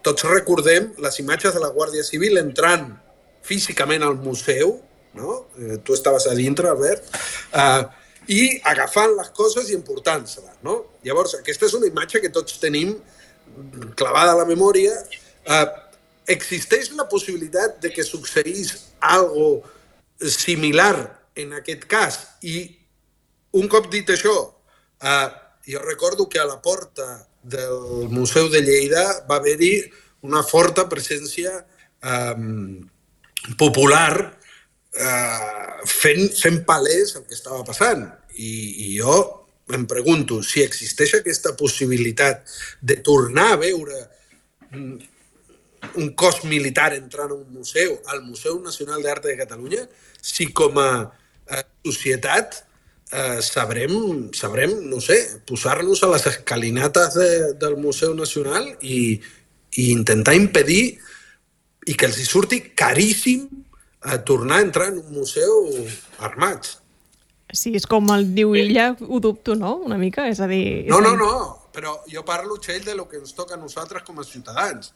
tots recordem les imatges de la Guàrdia Civil entrant físicament al museu, no? Eh, tu estaves a dintre, Albert, uh, i agafant les coses i emportant-se-les, no? Llavors, aquesta és una imatge que tots tenim clavada a la memòria. Uh, existeix la possibilitat de que succeís algo similar en aquest cas? I un cop dit això, uh, jo recordo que a la porta del Museu de Lleida va haver-hi una forta presència eh, popular eh, fent, fent palès el que estava passant. I, i jo em pregunto si existeix aquesta possibilitat de tornar a veure un cos militar entrant a un museu, al Museu Nacional d'Art de Catalunya, si com a eh, societat eh, sabrem, sabrem, no sé, posar-nos a les escalinates de, del Museu Nacional i, i intentar impedir i que els hi surti caríssim a tornar a entrar en un museu armats. Sí, és com el diu Illa, ho dubto, no? Una mica, és a dir... No, no, no, però jo parlo, Txell, de lo que ens toca a nosaltres com a ciutadans.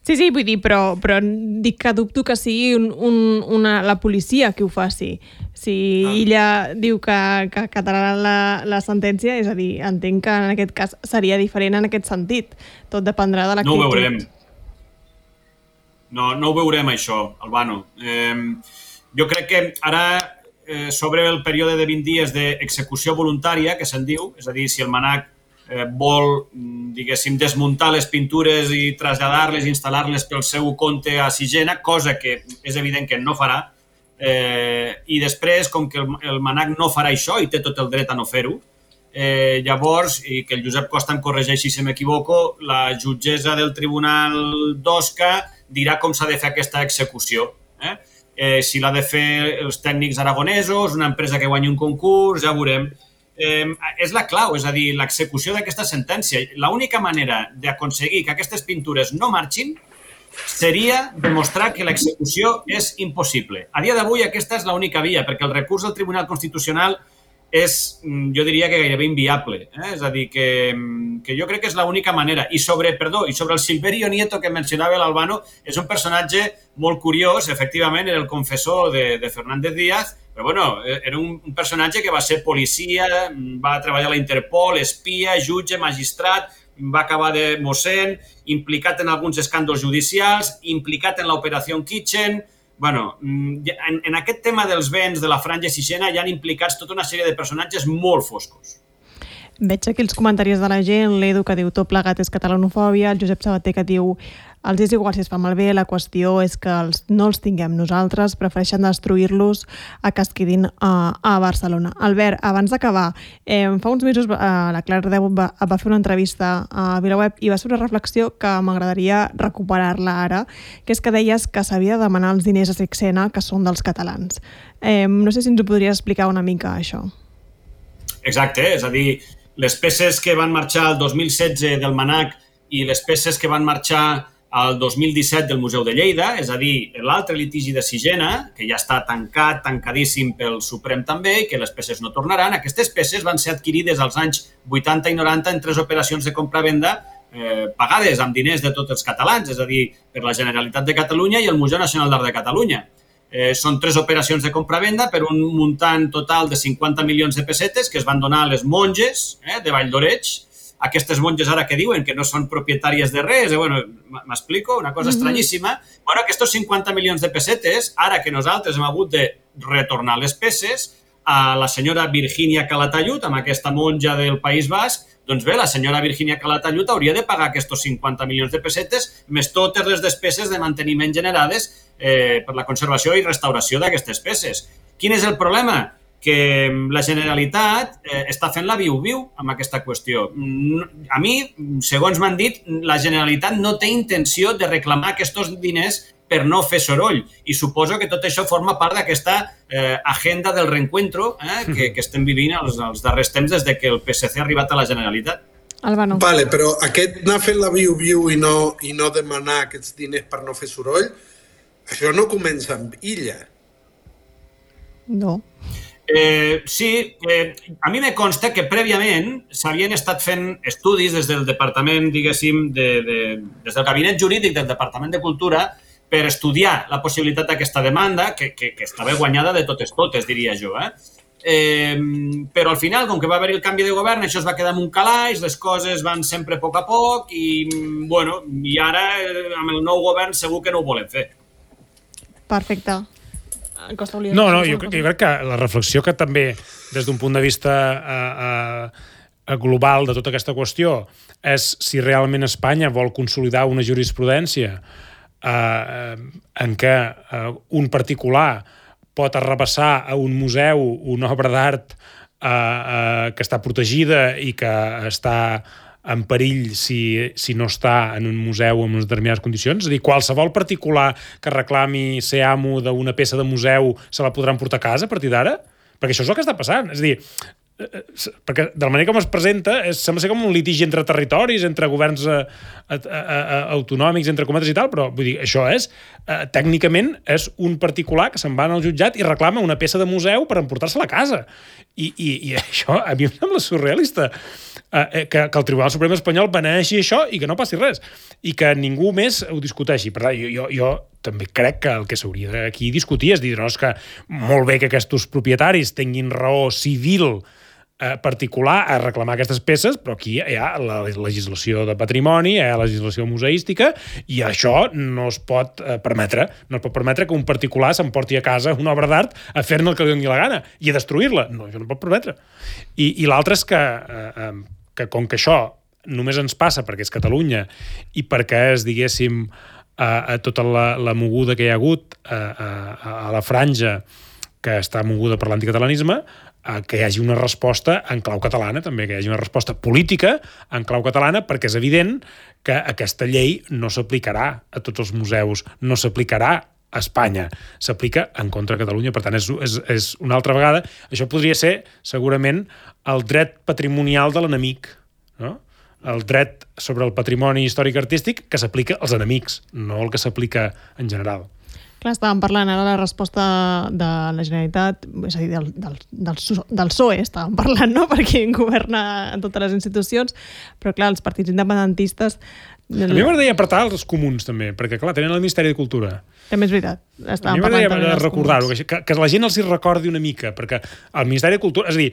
Sí, sí, vull dir, però, però dic que dubto que sigui un, un, una, la policia qui ho faci. Si ah. Illa diu que, que acatarà la, la sentència, és a dir, entenc que en aquest cas seria diferent en aquest sentit. Tot dependrà de l'actitud. No ho veurem. No, no ho veurem, això, Albano. Eh, jo crec que ara, eh, sobre el període de vint dies d'execució voluntària, que se'n diu, és a dir, si el MNAC eh, vol, diguéssim, desmuntar les pintures i traslladar-les, instal·lar-les pel seu compte a Sixena, cosa que és evident que no farà, eh, i després, com que el, el MNAC no farà això i té tot el dret a no fer-ho, eh, llavors, i que el Josep Costa em corregeixi si m'equivoco, la jutgessa del Tribunal d'Osca dirà com s'ha de fer aquesta execució. Eh? Eh, si l'ha de fer els tècnics aragonesos, una empresa que guanyi un concurs, ja veurem. Eh, és la clau, és a dir, l'execució d'aquesta sentència. L'única manera d'aconseguir que aquestes pintures no marxin seria demostrar que l'execució és impossible. A dia d'avui aquesta és l'única via, perquè el recurs al Tribunal Constitucional és, jo diria que gairebé inviable. Eh? És a dir, que, que jo crec que és l'única manera. I sobre, perdó, i sobre el Silverio Nieto que mencionava l'Albano, és un personatge molt curiós, efectivament, era el confessor de, de Fernández Díaz, però bueno, era un, un personatge que va ser policia, va treballar a la Interpol, espia, jutge, magistrat, va acabar de mossèn, implicat en alguns escàndols judicials, implicat en l'operació Kitchen. Bueno, en, en aquest tema dels béns de la Franja Sixena hi han implicats tota una sèrie de personatges molt foscos. Veig aquí els comentaris de la gent, l'Edu que diu tot plegat és catalanofòbia, el Josep Sabater que diu els és igual si es fa malbé, la qüestió és que els, no els tinguem nosaltres, prefereixen destruir-los a que es quedin a, a Barcelona. Albert, abans d'acabar, eh, fa uns mesos eh, la Clara Ardeu va, va fer una entrevista a VilaWeb i va fer una reflexió que m'agradaria recuperar-la ara, que és que deies que s'havia de demanar els diners a Sixena que són dels catalans. Eh, no sé si ens ho podries explicar una mica, això. Exacte, és a dir, les peces que van marxar el dos mil setze del MNAC i les peces que van marxar al dos mil disset del Museu de Lleida, és a dir, l'altre litigi de Sixena, que ja està tancat, tancadíssim pel Suprem també, i que les peces no tornaran, aquestes peces van ser adquirides als anys vuitanta i noranta en tres operacions de compra-venda eh, pagades amb diners de tots els catalans, és a dir, per la Generalitat de Catalunya i el Museu Nacional d'Art de Catalunya. Eh, són tres operacions de compra-venda per un muntant total de cinquanta milions de pessetes que es van donar a les monges eh, de Vall d'Oreig. Aquestes monges ara que diuen que no són propietàries de res, eh, bueno, m'explico, una cosa mm-hmm. estranyíssima. Bueno, aquests cinquanta milions de pessetes, ara que nosaltres hem hagut de retornar les peces a la senyora Virginia Calatayud, amb aquesta monja del País Basc, doncs bé, la senyora Virginia Calatayud hauria de pagar aquests cinquanta milions de pessetes més totes les despeses de manteniment generades eh, per la conservació i restauració d'aquestes peces. Quin és el problema? Que la Generalitat eh, està fent la viu-viu amb aquesta qüestió. A mi, segons m'han dit, la Generalitat no té intenció de reclamar aquests diners per no fer soroll. I suposo que tot això forma part d'aquesta eh, agenda del reencuentro eh, que, que estem vivint els, els darrers temps des de que el P S C ha arribat a la Generalitat. Albano. Vale, però aquest anar fent la viu-viu i, no, i no demanar aquests diners per no fer soroll, això no comença amb Illa. No. Eh, sí, eh, a mi me consta que prèviament s'havien estat fent estudis des del departament, diguéssim, de, de, des del gabinet jurídic del Departament de Cultura per estudiar la possibilitat d'aquesta demanda, que, que, que estava guanyada de totes totes, diria jo. Eh? Eh, però al final, com que va haver el canvi de govern, això es va quedar en un calaix, les coses van sempre a poc a poc i, bueno, i ara, amb el nou govern, segur que no ho volen fer. Perfecte. No, no, jo, jo crec que la reflexió que també, des d'un punt de vista eh, eh, global de tota aquesta qüestió és si realment Espanya vol consolidar una jurisprudència eh, en què eh, un particular pot arrabassar a un museu una obra d'art eh, eh, que està protegida i que està en perill si, si no està en un museu en unes determinades condicions. És a dir, qualsevol particular que reclami ser amo d'una peça de museu se la podran portar a casa a partir d'ara? Perquè això és el que està passant. És a dir, perquè de la manera com es presenta és, sembla ser com un litigi entre territoris, entre governs a, a, a, autonòmics, entre cometes i tal, però vull dir, això és, eh, tècnicament és un particular que se'n va al jutjat i reclama una peça de museu per emportar-se-la a casa. I, i, i això a mi em sembla surrealista. Eh, que, que el Tribunal Suprem espanyol beneeixi això i que no passi res. I que ningú més ho discuteixi. Per tant, jo, jo, jo també crec que el que s'hauria d'aquí discutir és dir, no, és que molt bé que aquests propietaris tinguin raó civil eh, particular a reclamar aquestes peces, però aquí hi ha la legislació de patrimoni, hi ha la legislació museística, i això no es pot eh, permetre. No es pot permetre que un particular s'emporti a casa una obra d'art a fer-ne el que li doni la gana i a destruir-la. No, això no pot permetre. I, i l'altre és que, eh, eh, que com que això només ens passa perquè és Catalunya i perquè és, diguéssim, a, a tota la, la moguda que hi ha hagut a, a, a la franja que està moguda per l'anticatalanisme, que hi hagi una resposta en clau catalana, també, que hi hagi una resposta política en clau catalana, perquè és evident que aquesta llei no s'aplicarà a tots els museus, no s'aplicarà a Espanya, s'aplica en contra de Catalunya. Per tant, és, és, és una altra vegada. Això podria ser, segurament, el dret patrimonial de l'enemic, no? El dret sobre el patrimoni històric-artístic que s'aplica als enemics, no el que s'aplica en general. Clar, estàvem parlant ara de la resposta de la Generalitat, és a dir, del, del, del, del P S O E estàvem parlant, no?, per qui governa en totes les institucions, però clar, els partits independentistes... A mi m'agradaria apretar els comuns, també, perquè clar, tenen el Ministeri de Cultura. També és veritat. A mi m'agradaria recordar-ho, que, que la gent els hi recordi una mica, perquè el Ministeri de Cultura... És a dir,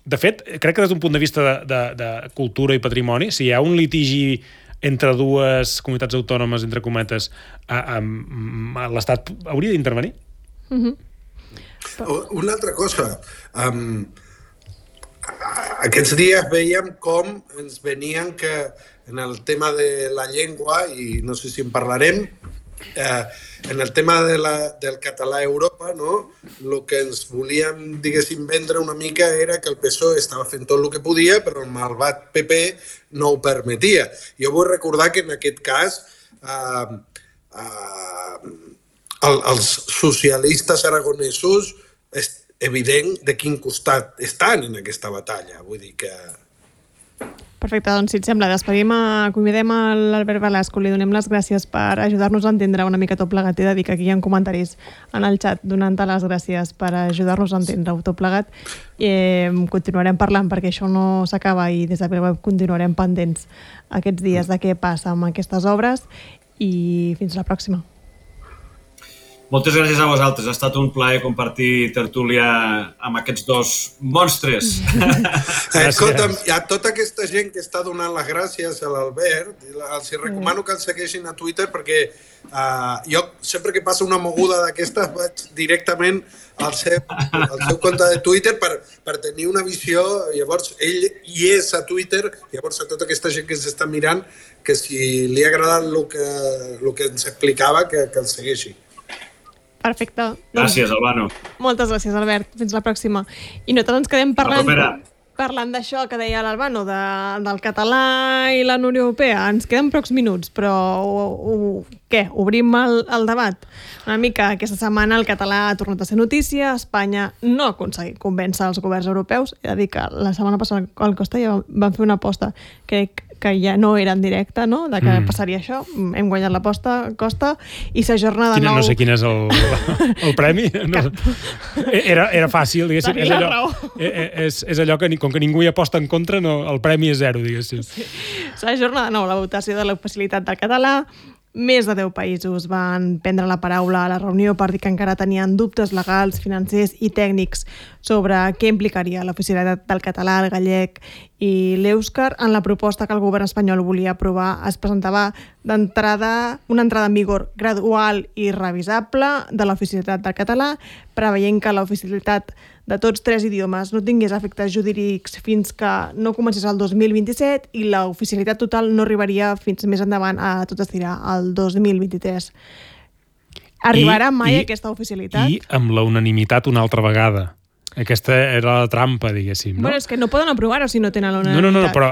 de fet, crec que des d'un punt de vista de, de, de cultura i patrimoni, si hi ha un litigi entre dues comunitats autònomes, entre cometes, a, a, a l'Estat hauria d'intervenir? Mm-hmm. Una altra cosa. Um, aquests dies veiem com ens venien que en el tema de la llengua, i no sé si en parlarem, eh, en el tema de la, del català a Europa, no? El que ens volíem, diguéssim, vendre una mica era que el P S O E estava fent tot el que podia, però el malvat P P no ho permetia. Jo vull recordar que en aquest cas eh, eh, el, els socialistes aragonesos és evident de quin costat estan en aquesta batalla. Vull dir que... Perfecte, doncs si et sembla, despedim, convidem a l'Albert Velasco, li donem les gràcies per ajudar-nos a entendre una mica tot plegat. He de dir que aquí hi ha comentaris en el xat donant-te les gràcies per ajudar-nos a entendre tot plegat. I eh, continuarem parlant perquè això no s'acaba i des de web continuarem pendents aquests dies de què passa amb aquestes obres i fins la pròxima. Moltes gràcies a vosaltres. Ha estat un plaer compartir tertúlia amb aquests dos monstres. Escolta'm, a tota aquesta gent que està donant les gràcies a l'Albert, els recomano que el segueixin a Twitter perquè uh, jo sempre que passa una moguda d'aquestes vaig directament al seu, al seu compte de Twitter per, per tenir una visió. Llavors, ell hi és a Twitter, llavors a tota aquesta gent que ens està mirant, que si li ha agradat el que, el que ens explicava, que, que el segueixi. Perfecte. Gràcies, Albano. Moltes gràcies, Albert. Fins la pròxima. I nosaltres ens quedem parlant, parlant d'això que deia l'Albano, de, del català i la Unió Europea. Ens queden pocs minuts, però o, o, què? Obrim el, el debat? Una mica aquesta setmana el català ha tornat a ser notícia, Espanya no ha aconseguit convèncer els governs europeus. He de dir que la setmana passada al Costa ja van fer una aposta, crec que ja no era en directe, no?, de que mm. passaria això. Hem guanyat l'aposta, Costa, i s'ajorna de nou... No sé quin és el, el premi. No, era, era fàcil, diguéssim. És allò, és, és allò que, com que ningú hi aposta en contra, no, el premi és zero, diguéssim. Sí. S'ajorna de nou la votació de la facilitat del català. Més de deu països van prendre la paraula a la reunió per dir que encara tenien dubtes legals, financers i tècnics sobre què implicaria l'oficialitat del català, el gallec i l'èuscar. En la proposta que el govern espanyol volia aprovar es presentava d'entrada una entrada en vigor gradual i revisable de l'oficialitat del català, preveient que l'oficialitat de tots tres idiomes no tingués efectes jurídics fins que no comencés el dos mil vint-i-set i la oficialitat total no arribaria fins més endavant a tot estirar, el dos mil vint-i-tres. Arribarà I, mai i, aquesta oficialitat? I amb la unanimitat una altra vegada. Aquesta era la trampa, diguéssim, no? Bueno, és que no poden aprovar-ho si no tenen la unanimitat. No, no, no, però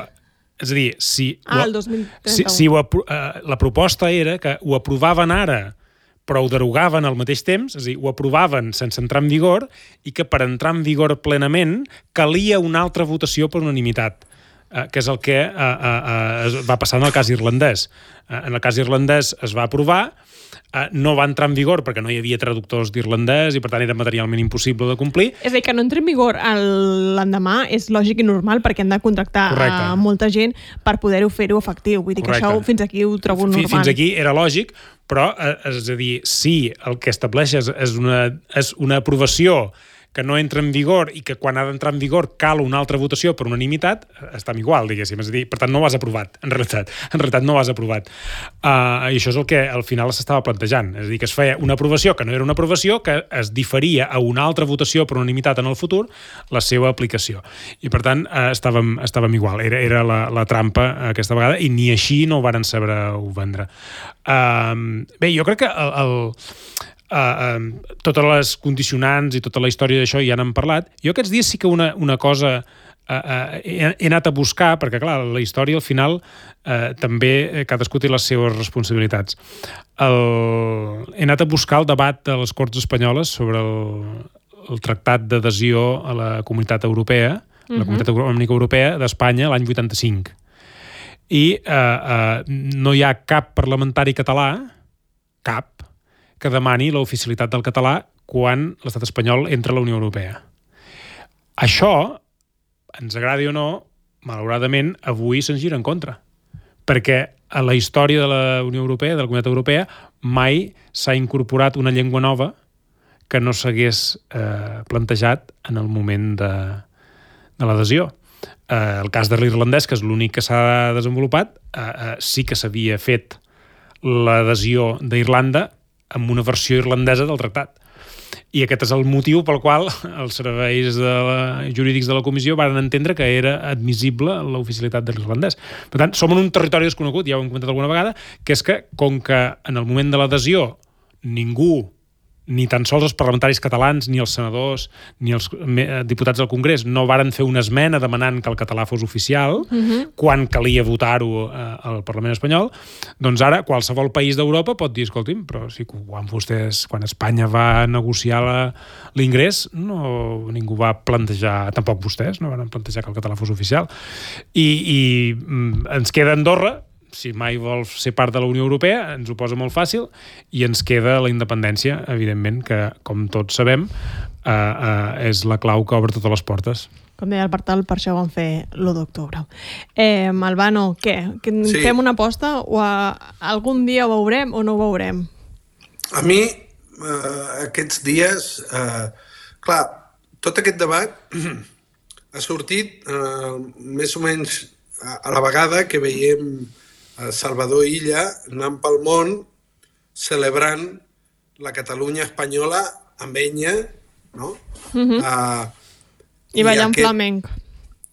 és a dir, si... Ah, el dos mil trenta-u. Si, si ho, uh, la proposta era que ho aprovaven ara, però ho derogaven al mateix temps, és a dir, ho aprovaven sense entrar en vigor i que per entrar en vigor plenament calia una altra votació per unanimitat, uh, que és el que uh, uh, uh, va passar en el cas irlandès. Uh, en el cas irlandès es va aprovar, Uh, no va entrar en vigor perquè no hi havia traductors d'irlandès i per tant era materialment impossible de complir. És a dir, que no entri en vigor l'endemà és lògic i normal perquè han de contractar Correcte. a molta gent per poder-ho fer-ho efectiu. Vull dir que Correcte. això fins aquí ho trobo normal. Fins aquí era lògic, però eh, és a dir, si el que estableix és, és, una, és una aprovació que no entra en vigor i que quan ha d'entrar en vigor cal una altra votació per unanimitat, està igual, diguéssim. És a dir, per tant, no ho has aprovat, en realitat. En realitat no ho has aprovat. Uh, I això és el que al final s'estava plantejant. És a dir, que es feia una aprovació que no era una aprovació, que es diferia a una altra votació per unanimitat en el futur la seva aplicació. I, per tant, uh, estàvem, estàvem igual. Era, era la, la trampa aquesta vegada i ni així no ho varen saber-ho vendre. Uh, bé, jo crec que el... el Uh, uh, totes les condicionants i tota la història d'això ja n'han parlat. Jo aquests dies sí que una, una cosa uh, uh, he, he anat a buscar, perquè clar, la història al final uh, també cadascú té les seves responsabilitats. El, he anat a buscar el debat de les Corts Espanyoles sobre el, el tractat d'adhesió a la Comunitat Europea, uh-huh. la Comunitat Econòmica Europea d'Espanya l'any vuitanta-cinc. I uh, uh, no hi ha cap parlamentari català, cap, que demani l'oficialitat del català quan l'estat espanyol entra a la Unió Europea. Això, ens agradi o no, malauradament, avui se'ns gira en contra. Perquè a la història de la Unió Europea, de la Comunitat Europea, mai s'ha incorporat una llengua nova que no s'hagués eh, plantejat en el moment de, de l'adhesió. Eh, el cas de l'irlandès, que és l'únic que s'ha desenvolupat, eh, eh, sí que s'havia fet l'adhesió d'Irlanda amb una versió irlandesa del tractat. I aquest és el motiu pel qual els serveis de la, jurídics de la comissió van entendre que era admissible l'oficialitat de l'irlandès. Per tant, som en un territori desconegut, ja ho hem comentat alguna vegada, que és que, com que en el moment de l'adhesió ningú, ni tan sols els parlamentaris catalans, ni els senadors, ni els diputats del Congrés no varen fer una esmena demanant que el català fos oficial, uh-huh. quan calia votar-ho eh, al Parlament espanyol, doncs ara qualsevol país d'Europa pot dir, escolti'm, però si quan vostès, quan Espanya va negociar l'ingrés, no, ningú va plantejar, tampoc vostès, no van plantejar que el català fos oficial. I, i ens queda Andorra, si mai vol ser part de la Unió Europea, ens ho posa molt fàcil, i ens queda la independència, evidentment, que, com tots sabem, eh, eh, és la clau que obre totes les portes. Com deia el Bartal, per això van fer l'u d'octubre. Eh, Albano, què? Que Sí. Fem una aposta o a, algun dia ho veurem o no ho veurem? A mi, eh, aquests dies, eh, clar, tot aquest debat ha sortit eh, més o menys a, a la vegada que veiem Salvador Illa anant pel món celebrant la Catalunya espanyola amb enya, no? Uh-huh. Uh, I ballant aquest, flamenc.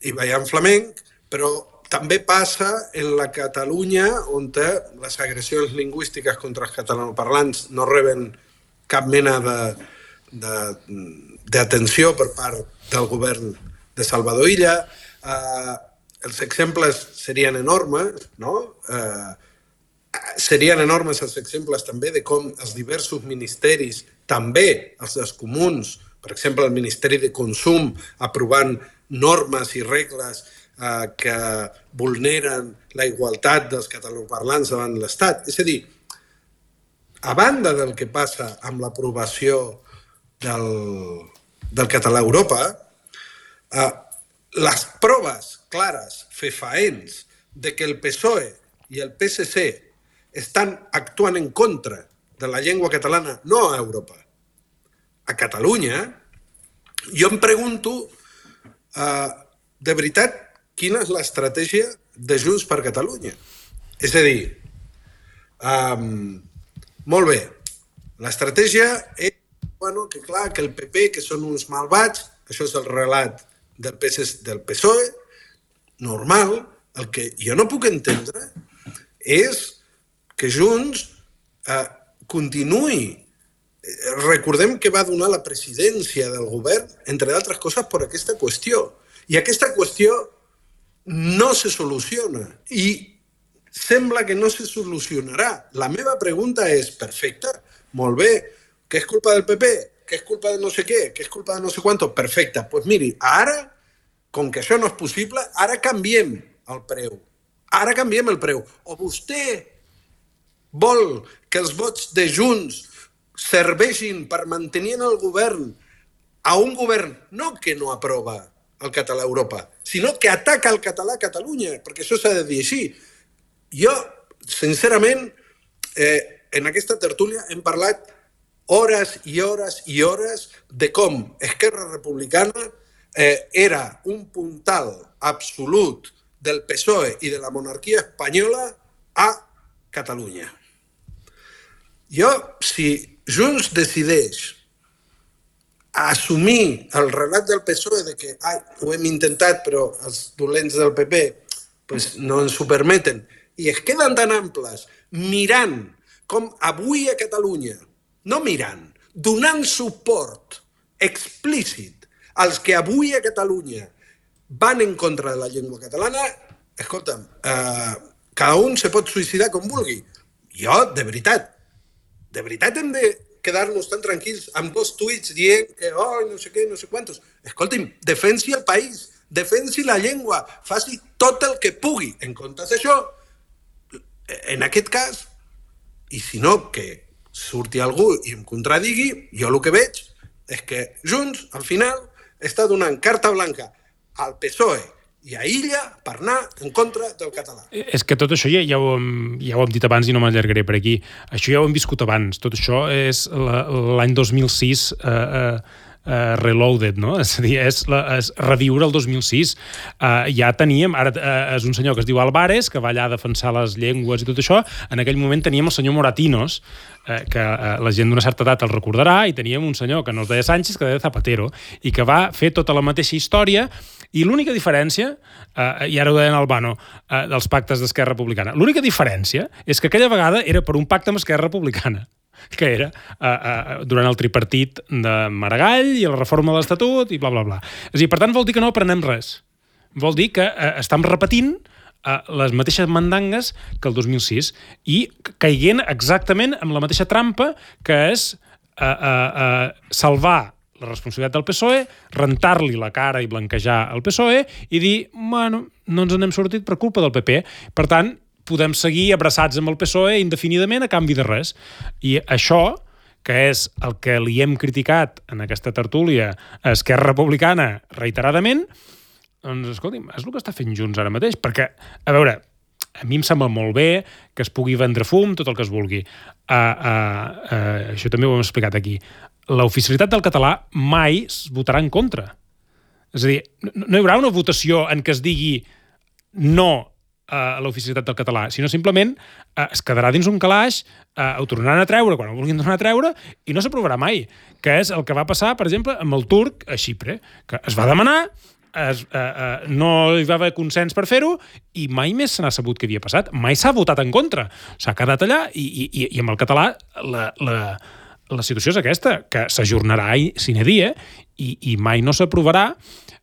I ballant flamenc, però també passa en la Catalunya on les agressions lingüístiques contra els catalanoparlants no reben cap mena de, de, d'atenció per part del govern de Salvador Illa. Uh, els exemples serien enormes, no? Eh, serien enormes els exemples també de com els diversos ministeris, també els dels comuns, per exemple el Ministeri de Consum, aprovant normes i regles eh, que vulneren la igualtat dels catalanoparlants davant l'Estat. És a dir, a banda del que passa amb l'aprovació del, del català a Europa, eh, les proves clares, fefaents, de que el P S O E i el P S C estan actuant en contra de la llengua catalana, no a Europa, a Catalunya, jo em pregunto, uh, de veritat, quina és l'estratègia de Junts per Catalunya? És a dir, um, molt bé, l'estratègia és, bueno, que clar, que el P P, que són uns malvats, això és el relat del P S, del P S O E, normal. El que jo no puc entendre és que Junts eh, continuï. Recordem que va donar la presidència del govern, entre d'altres coses, per aquesta qüestió. I aquesta qüestió no se soluciona i sembla que no se solucionarà. La meva pregunta és, perfecte, molt bé, que és culpa del P P, que és culpa de no sé què, que és culpa de no sé quanto, perfecte. Doncs pues miri, ara, com que això no és possible, ara canviem el preu. Ara canviem el preu. O vostè vol que els vots de Junts serveixin per mantenir en el govern a un govern no que no aprova el català a Europa, sinó que ataca el català a Catalunya, perquè això s'ha de dir així. Jo, sincerament, eh, en aquesta tertúlia hem parlat hores i hores i hores de com Esquerra Republicana eh, era un puntal absolut del P S O E i de la monarquia espanyola a Catalunya. Jo, si Junts decideix assumir el relat del P S O E de que ai, ho hem intentat però els dolents del P P pues, no ens ho permeten, i es queden tan amples mirant com avui a Catalunya, no mirant, donant suport explícit als que avui a Catalunya van en contra de la llengua catalana, escolta'm, eh, cada un se pot suïcidar com vulgui. Jo, de veritat, de veritat hem de quedar-nos tan tranquils amb dos tuits dient que oh, no sé què, no sé quantos. Escolti'm, defensi el país, defensi la llengua, faci tot el que pugui. En comptes d'això, en aquest cas, i si no, que surti algú i em contradigui, jo el que veig és que Junts, al final, està donant carta blanca al P S O E i a Illa per anar en contra del català. És que tot això ja, ja, ho hem, ja ho hem dit abans i no m'allargaré per aquí. Això ja ho hem viscut abans. Tot això és l'any dos mil sis eh, eh, Uh, reloaded, no? És a dir, és, la, és reviure el dos mil sis. Uh, ja teníem, ara uh, és un senyor que es diu Álvarez, que va allà a defensar les llengües i tot això. En aquell moment teníem el senyor Moratinos, uh, que uh, la gent d'una certa edat el recordarà, i teníem un senyor que no es deia Sánchez, que deia Zapatero, i que va fer tota la mateixa història, i l'única diferència, uh, i ara ho deia en Albano, uh, dels pactes d'Esquerra Republicana, l'única diferència és que aquella vegada era per un pacte amb Esquerra Republicana, que era uh, uh, durant el tripartit de Maragall i la reforma de l'Estatut i bla, bla, bla. És a dir, per tant, vol dir que no aprenem res. Vol dir que uh, estem repetint uh, les mateixes mandangues que el dos mil sis i caiguent exactament amb la mateixa trampa que és uh, uh, uh, salvar la responsabilitat del P S O E, rentar-li la cara i blanquejar el P S O E i dir, bueno, no ens n'hem sortit per culpa del P P. Per tant, podem seguir abraçats amb el P S O E indefinidament a canvi de res. I això, que és el que li hem criticat en aquesta tertúlia a Esquerra Republicana reiteradament, doncs, escolti'm, és el que està fent Junts ara mateix. Perquè, a veure, a mi em sembla molt bé que es pugui vendre fum, tot el que es vulgui. Uh, uh, uh, això també ho hem explicat aquí. L'oficialitat del català mai es votarà en contra. És a dir, no, no hi haurà una votació en què es digui no a l'oficialitat del català, sinó simplement eh, es quedarà dins un calaix, eh, ho tornaran a treure quan ho vulguin tornar a treure i no s'aprovarà mai, que és el que va passar, per exemple, amb el turc a Xipre, que es va demanar, es, eh, eh, no hi va haver consens per fer-ho i mai més se n'ha sabut què havia passat, mai s'ha votat en contra, s'ha quedat allà i, i, i amb el català la, la, la situació és aquesta, que s'ajornarà sine die i, i mai no s'aprovarà.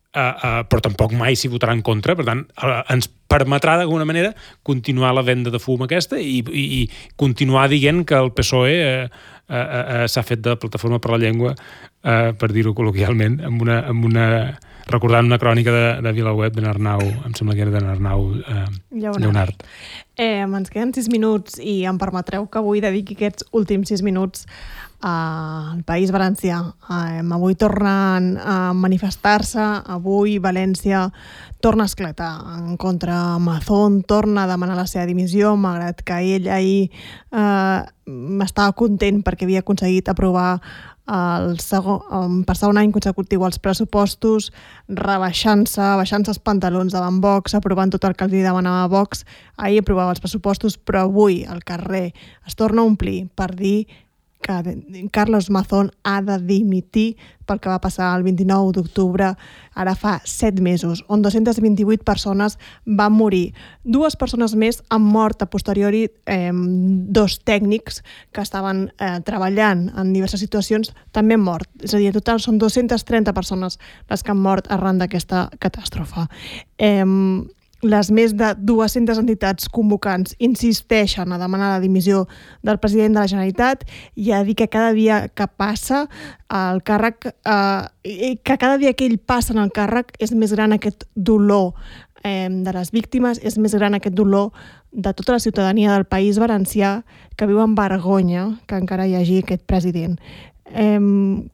Uh, uh, però tampoc mai s'hi votarà en contra, per tant uh, ens permetrà d'alguna manera continuar la venda de fum aquesta i, i, i continuar dient que el P S O E uh, uh, uh, s'ha fet de plataforma per la llengua, uh, per dir-ho col·loquialment, amb una, amb una, recordant una crònica de, de VilaWeb d'en Arnau, em sembla que era d'en Arnau uh, Lleonard. Lleonard. Eh, ens queden sis minuts i em permetreu que avui dediqui aquests últims sis minuts al País Valencià. Eh, avui tornen a manifestar-se, avui València torna a esclatar en contra Mazón, torna a demanar la seva dimissió, malgrat que ell ahir eh, estava content perquè havia aconseguit aprovar el segon, per segon any consecutiu els pressupostos, rebaixant-se, baixant-se els pantalons davant Vox, aprovant tot el que li demanava Vox. Ahir aprovava els pressupostos, però avui el carrer es torna a omplir per dir que Carlos Mazón ha de dimitir pel que va passar el vint-i-nou d'octubre, ara fa set mesos, on dos-centes vint-i-vuit persones van morir. Dues persones més han mort a posteriori, eh, dos tècnics que estaven eh, treballant en diverses situacions també han mort. És a dir, en total són dos-centes trenta persones les que han mort arran d'aquesta catàstrofe. Eh, les més de dues-centes entitats convocants insisteixen a demanar la dimissió del president de la Generalitat i a dir que cada dia que passa el càrrec, eh, que cada dia que ell passa en el càrrec és més gran aquest dolor eh, de les víctimes, és més gran aquest dolor de tota la ciutadania del País Valencià que viu amb vergonya que encara hi hagi aquest president. Eh,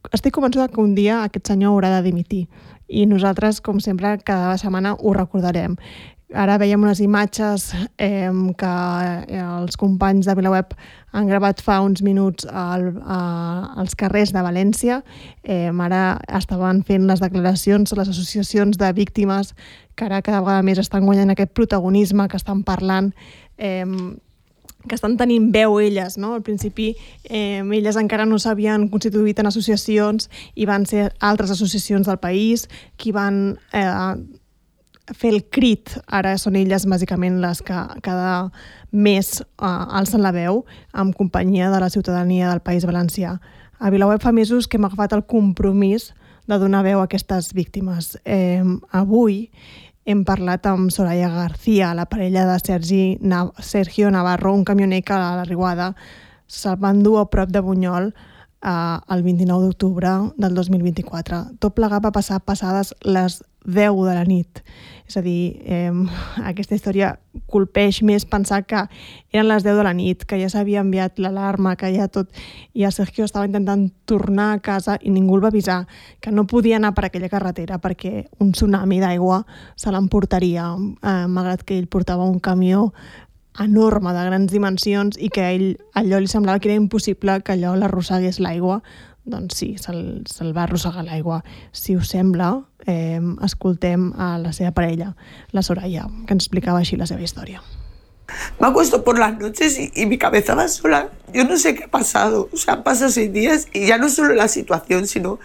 estic convençuda que un dia aquest senyor haurà de dimitir i nosaltres, com sempre, cada setmana ho recordarem. Ara veiem unes imatges eh, que els companys de VilaWeb han gravat fa uns minuts al, a, als carrers de València. Eh, ara estaven fent les declaracions les associacions de víctimes que ara cada vegada més estan guanyant aquest protagonisme, que estan parlant, eh, que estan tenint veu elles, no? Al principi eh, elles encara no s'havien constituït en associacions i van ser altres associacions del país qui van eh, fer el crit. Ara són elles bàsicament les que cada mes eh, alcen la veu amb companyia de la ciutadania del País Valencià. A VilaWeb fa mesos que hem agafat el compromís de donar veu a aquestes víctimes. Eh, avui hem parlat amb Soraya García, la parella de Sergi Nav- Sergio Navarro, un camioner que a la Riuada se'l van dur a prop de Bunyol eh, el vint-i-nou d'octubre del dos mil vint-i-quatre. Tot plegat va passar passades les deu de la nit. És a dir, eh, aquesta història colpeix més pensar que eren les deu de la nit, que ja s'havia enviat l'alarma, que ja tot... I el Sergio estava intentant tornar a casa i ningú el va avisar que no podia anar per aquella carretera perquè un tsunami d'aigua se l'emportaria, eh, malgrat que ell portava un camió enorme, de grans dimensions, i que a ell allò li semblava que era impossible que allò l'arrossegués l'aigua. Doncs sí, se'l, se'l va arrossegar l'aigua. Si us sembla, eh, escoltem a la seva parella, la Soraya, que ens explicava així la seva història. Me acuesto por las noches y, y mi cabeza va sola. Yo no sé qué ha pasado. O sea, han pasado seis días y ya no solo la situación, sino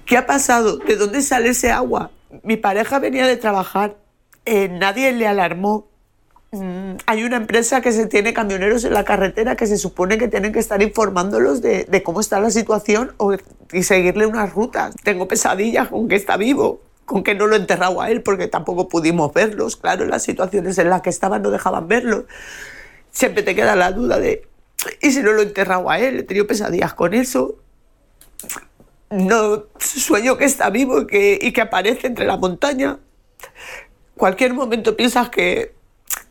qué ha pasado, de dónde sale ese agua. Mi pareja venía de trabajar, eh, nadie le alarmó. Mm, hay una empresa que se tiene camioneros en la carretera que se supone que tienen que estar informándolos de, de cómo está la situación o, y seguirle unas rutas. Tengo pesadillas con que está vivo, con que no lo he enterrado a él porque tampoco pudimos verlos. Claro, las situaciones en las que estaban no dejaban verlos. Siempre te queda la duda de, ¿y si no lo he enterrado a él? He tenido pesadillas con eso. No sueño que está vivo y que, y que aparece entre la montaña. Cualquier momento piensas que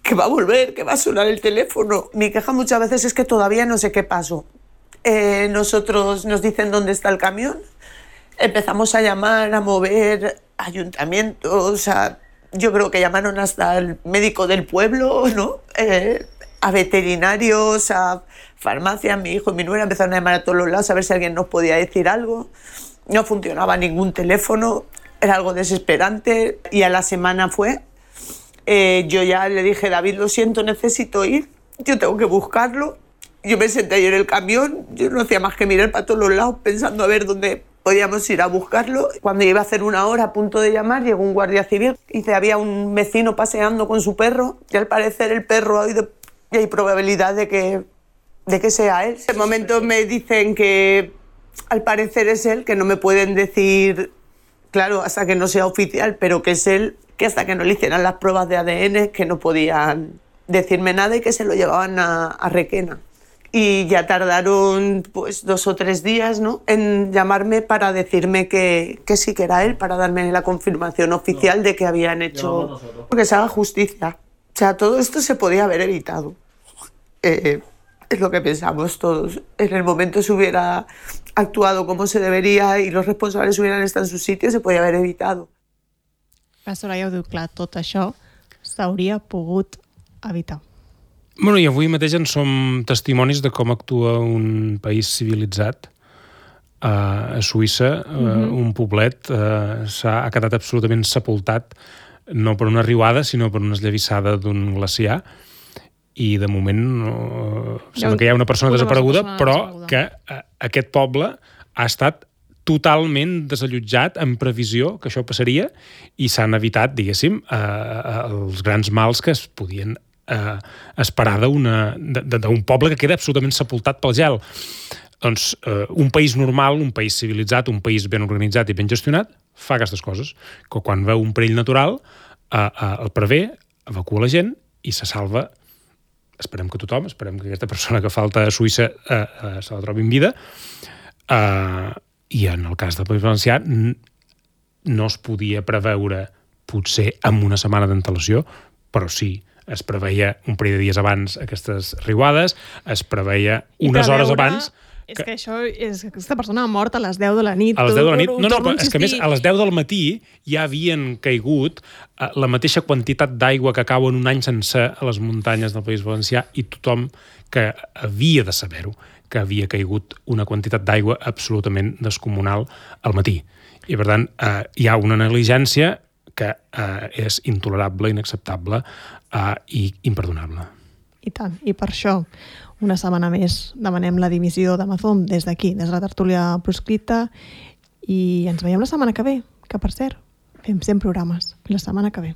que va a volver, que va a sonar el teléfono. Mi queja muchas veces es que todavía no sé qué pasó. Eh, nosotros nos dicen dónde está el camión, empezamos a llamar, a mover ayuntamientos, a, yo creo que llamaron hasta al médico del pueblo, ¿no? Eh, a veterinarios, a farmacias. Mi hijo y mi nuera empezaron a llamar a todos los lados a ver si alguien nos podía decir algo. No funcionaba ningún teléfono, era algo desesperante, y a la semana fue. Eh, yo ya le dije, David, lo siento, necesito ir, yo tengo que buscarlo. Yo me senté ahí en el camión, yo no hacía más que mirar para todos los lados pensando a ver dónde podíamos ir a buscarlo. Cuando iba a hacer una hora a punto de llamar, llegó un guardia civil y dice, había un vecino paseando con su perro y al parecer el perro ha oído y hay probabilidad de que, de que sea él. En ese momento me dicen que al parecer es él, que no me pueden decir, claro, hasta que no sea oficial, pero que es él, que hasta que no le hicieran las pruebas de A D N que no podían decirme nada y que se lo llevaban a, a Requena. Y ya tardaron pues dos o tres días, ¿no?, en llamarme para decirme que, que sí que era él, para darme la confirmación oficial no. de que habían hecho... Que se haga justicia. O sea, todo esto se podía haber evitado. Eh, es lo que pensamos todos. En el momento se hubiera actuado como se debería y los responsables hubieran estado en su sitio, se podía haver evitado. La Soraya ho diu clar, tot això s'hauria pogut evitar. Bueno, i avui mateix en som testimonis de com actua un país civilitzat. Uh, a Suïssa, uh, mm-hmm. un poblet uh, s'ha, ha quedat absolutament sepultat, no per una riuada, sinó per una esllavissada d'un glaciar. i de moment no, sembla que hi ha una persona una desapareguda, persona però desapareguda. que uh, aquest poble ha estat totalment desallotjat en previsió que això passaria i s'han evitat, diguéssim, uh, els grans mals que es podien uh, esperar d'un poble que queda absolutament sepultat pel gel. Doncs uh, un país normal, un país civilitzat, un país ben organitzat i ben gestionat, fa aquestes coses, que quan veu un perill natural uh, uh, el prevé, evacua la gent i se salva. Esperem que tothom, esperem que aquesta persona que falta a Suïssa uh, uh, se la trobi en vida. Uh, I en el cas del País Valencià no es podia preveure potser amb una setmana d'antelació, però sí, es preveia un parell de dies abans aquestes riuades, es preveia unes hores abans... És que, que això és que aquesta persona ha mort a les deu de la nit. A les deu de la nit? Tu, No, no, però és que a més a les deu del matí ja havien caigut uh, la mateixa quantitat d'aigua que cau en un any sencer a les muntanyes del País Valencià i tothom que havia de saber-ho, que havia caigut una quantitat d'aigua absolutament descomunal al matí. I, per tant, uh, hi ha una negligència que uh, és intolerable, inacceptable uh, i imperdonable. I tant, i per això una setmana més demanem la dimissió d'Amazon des d'aquí, des de la tertúlia proscrita, i ens veiem la setmana que ve, que per cert, fem cent programes la setmana que ve.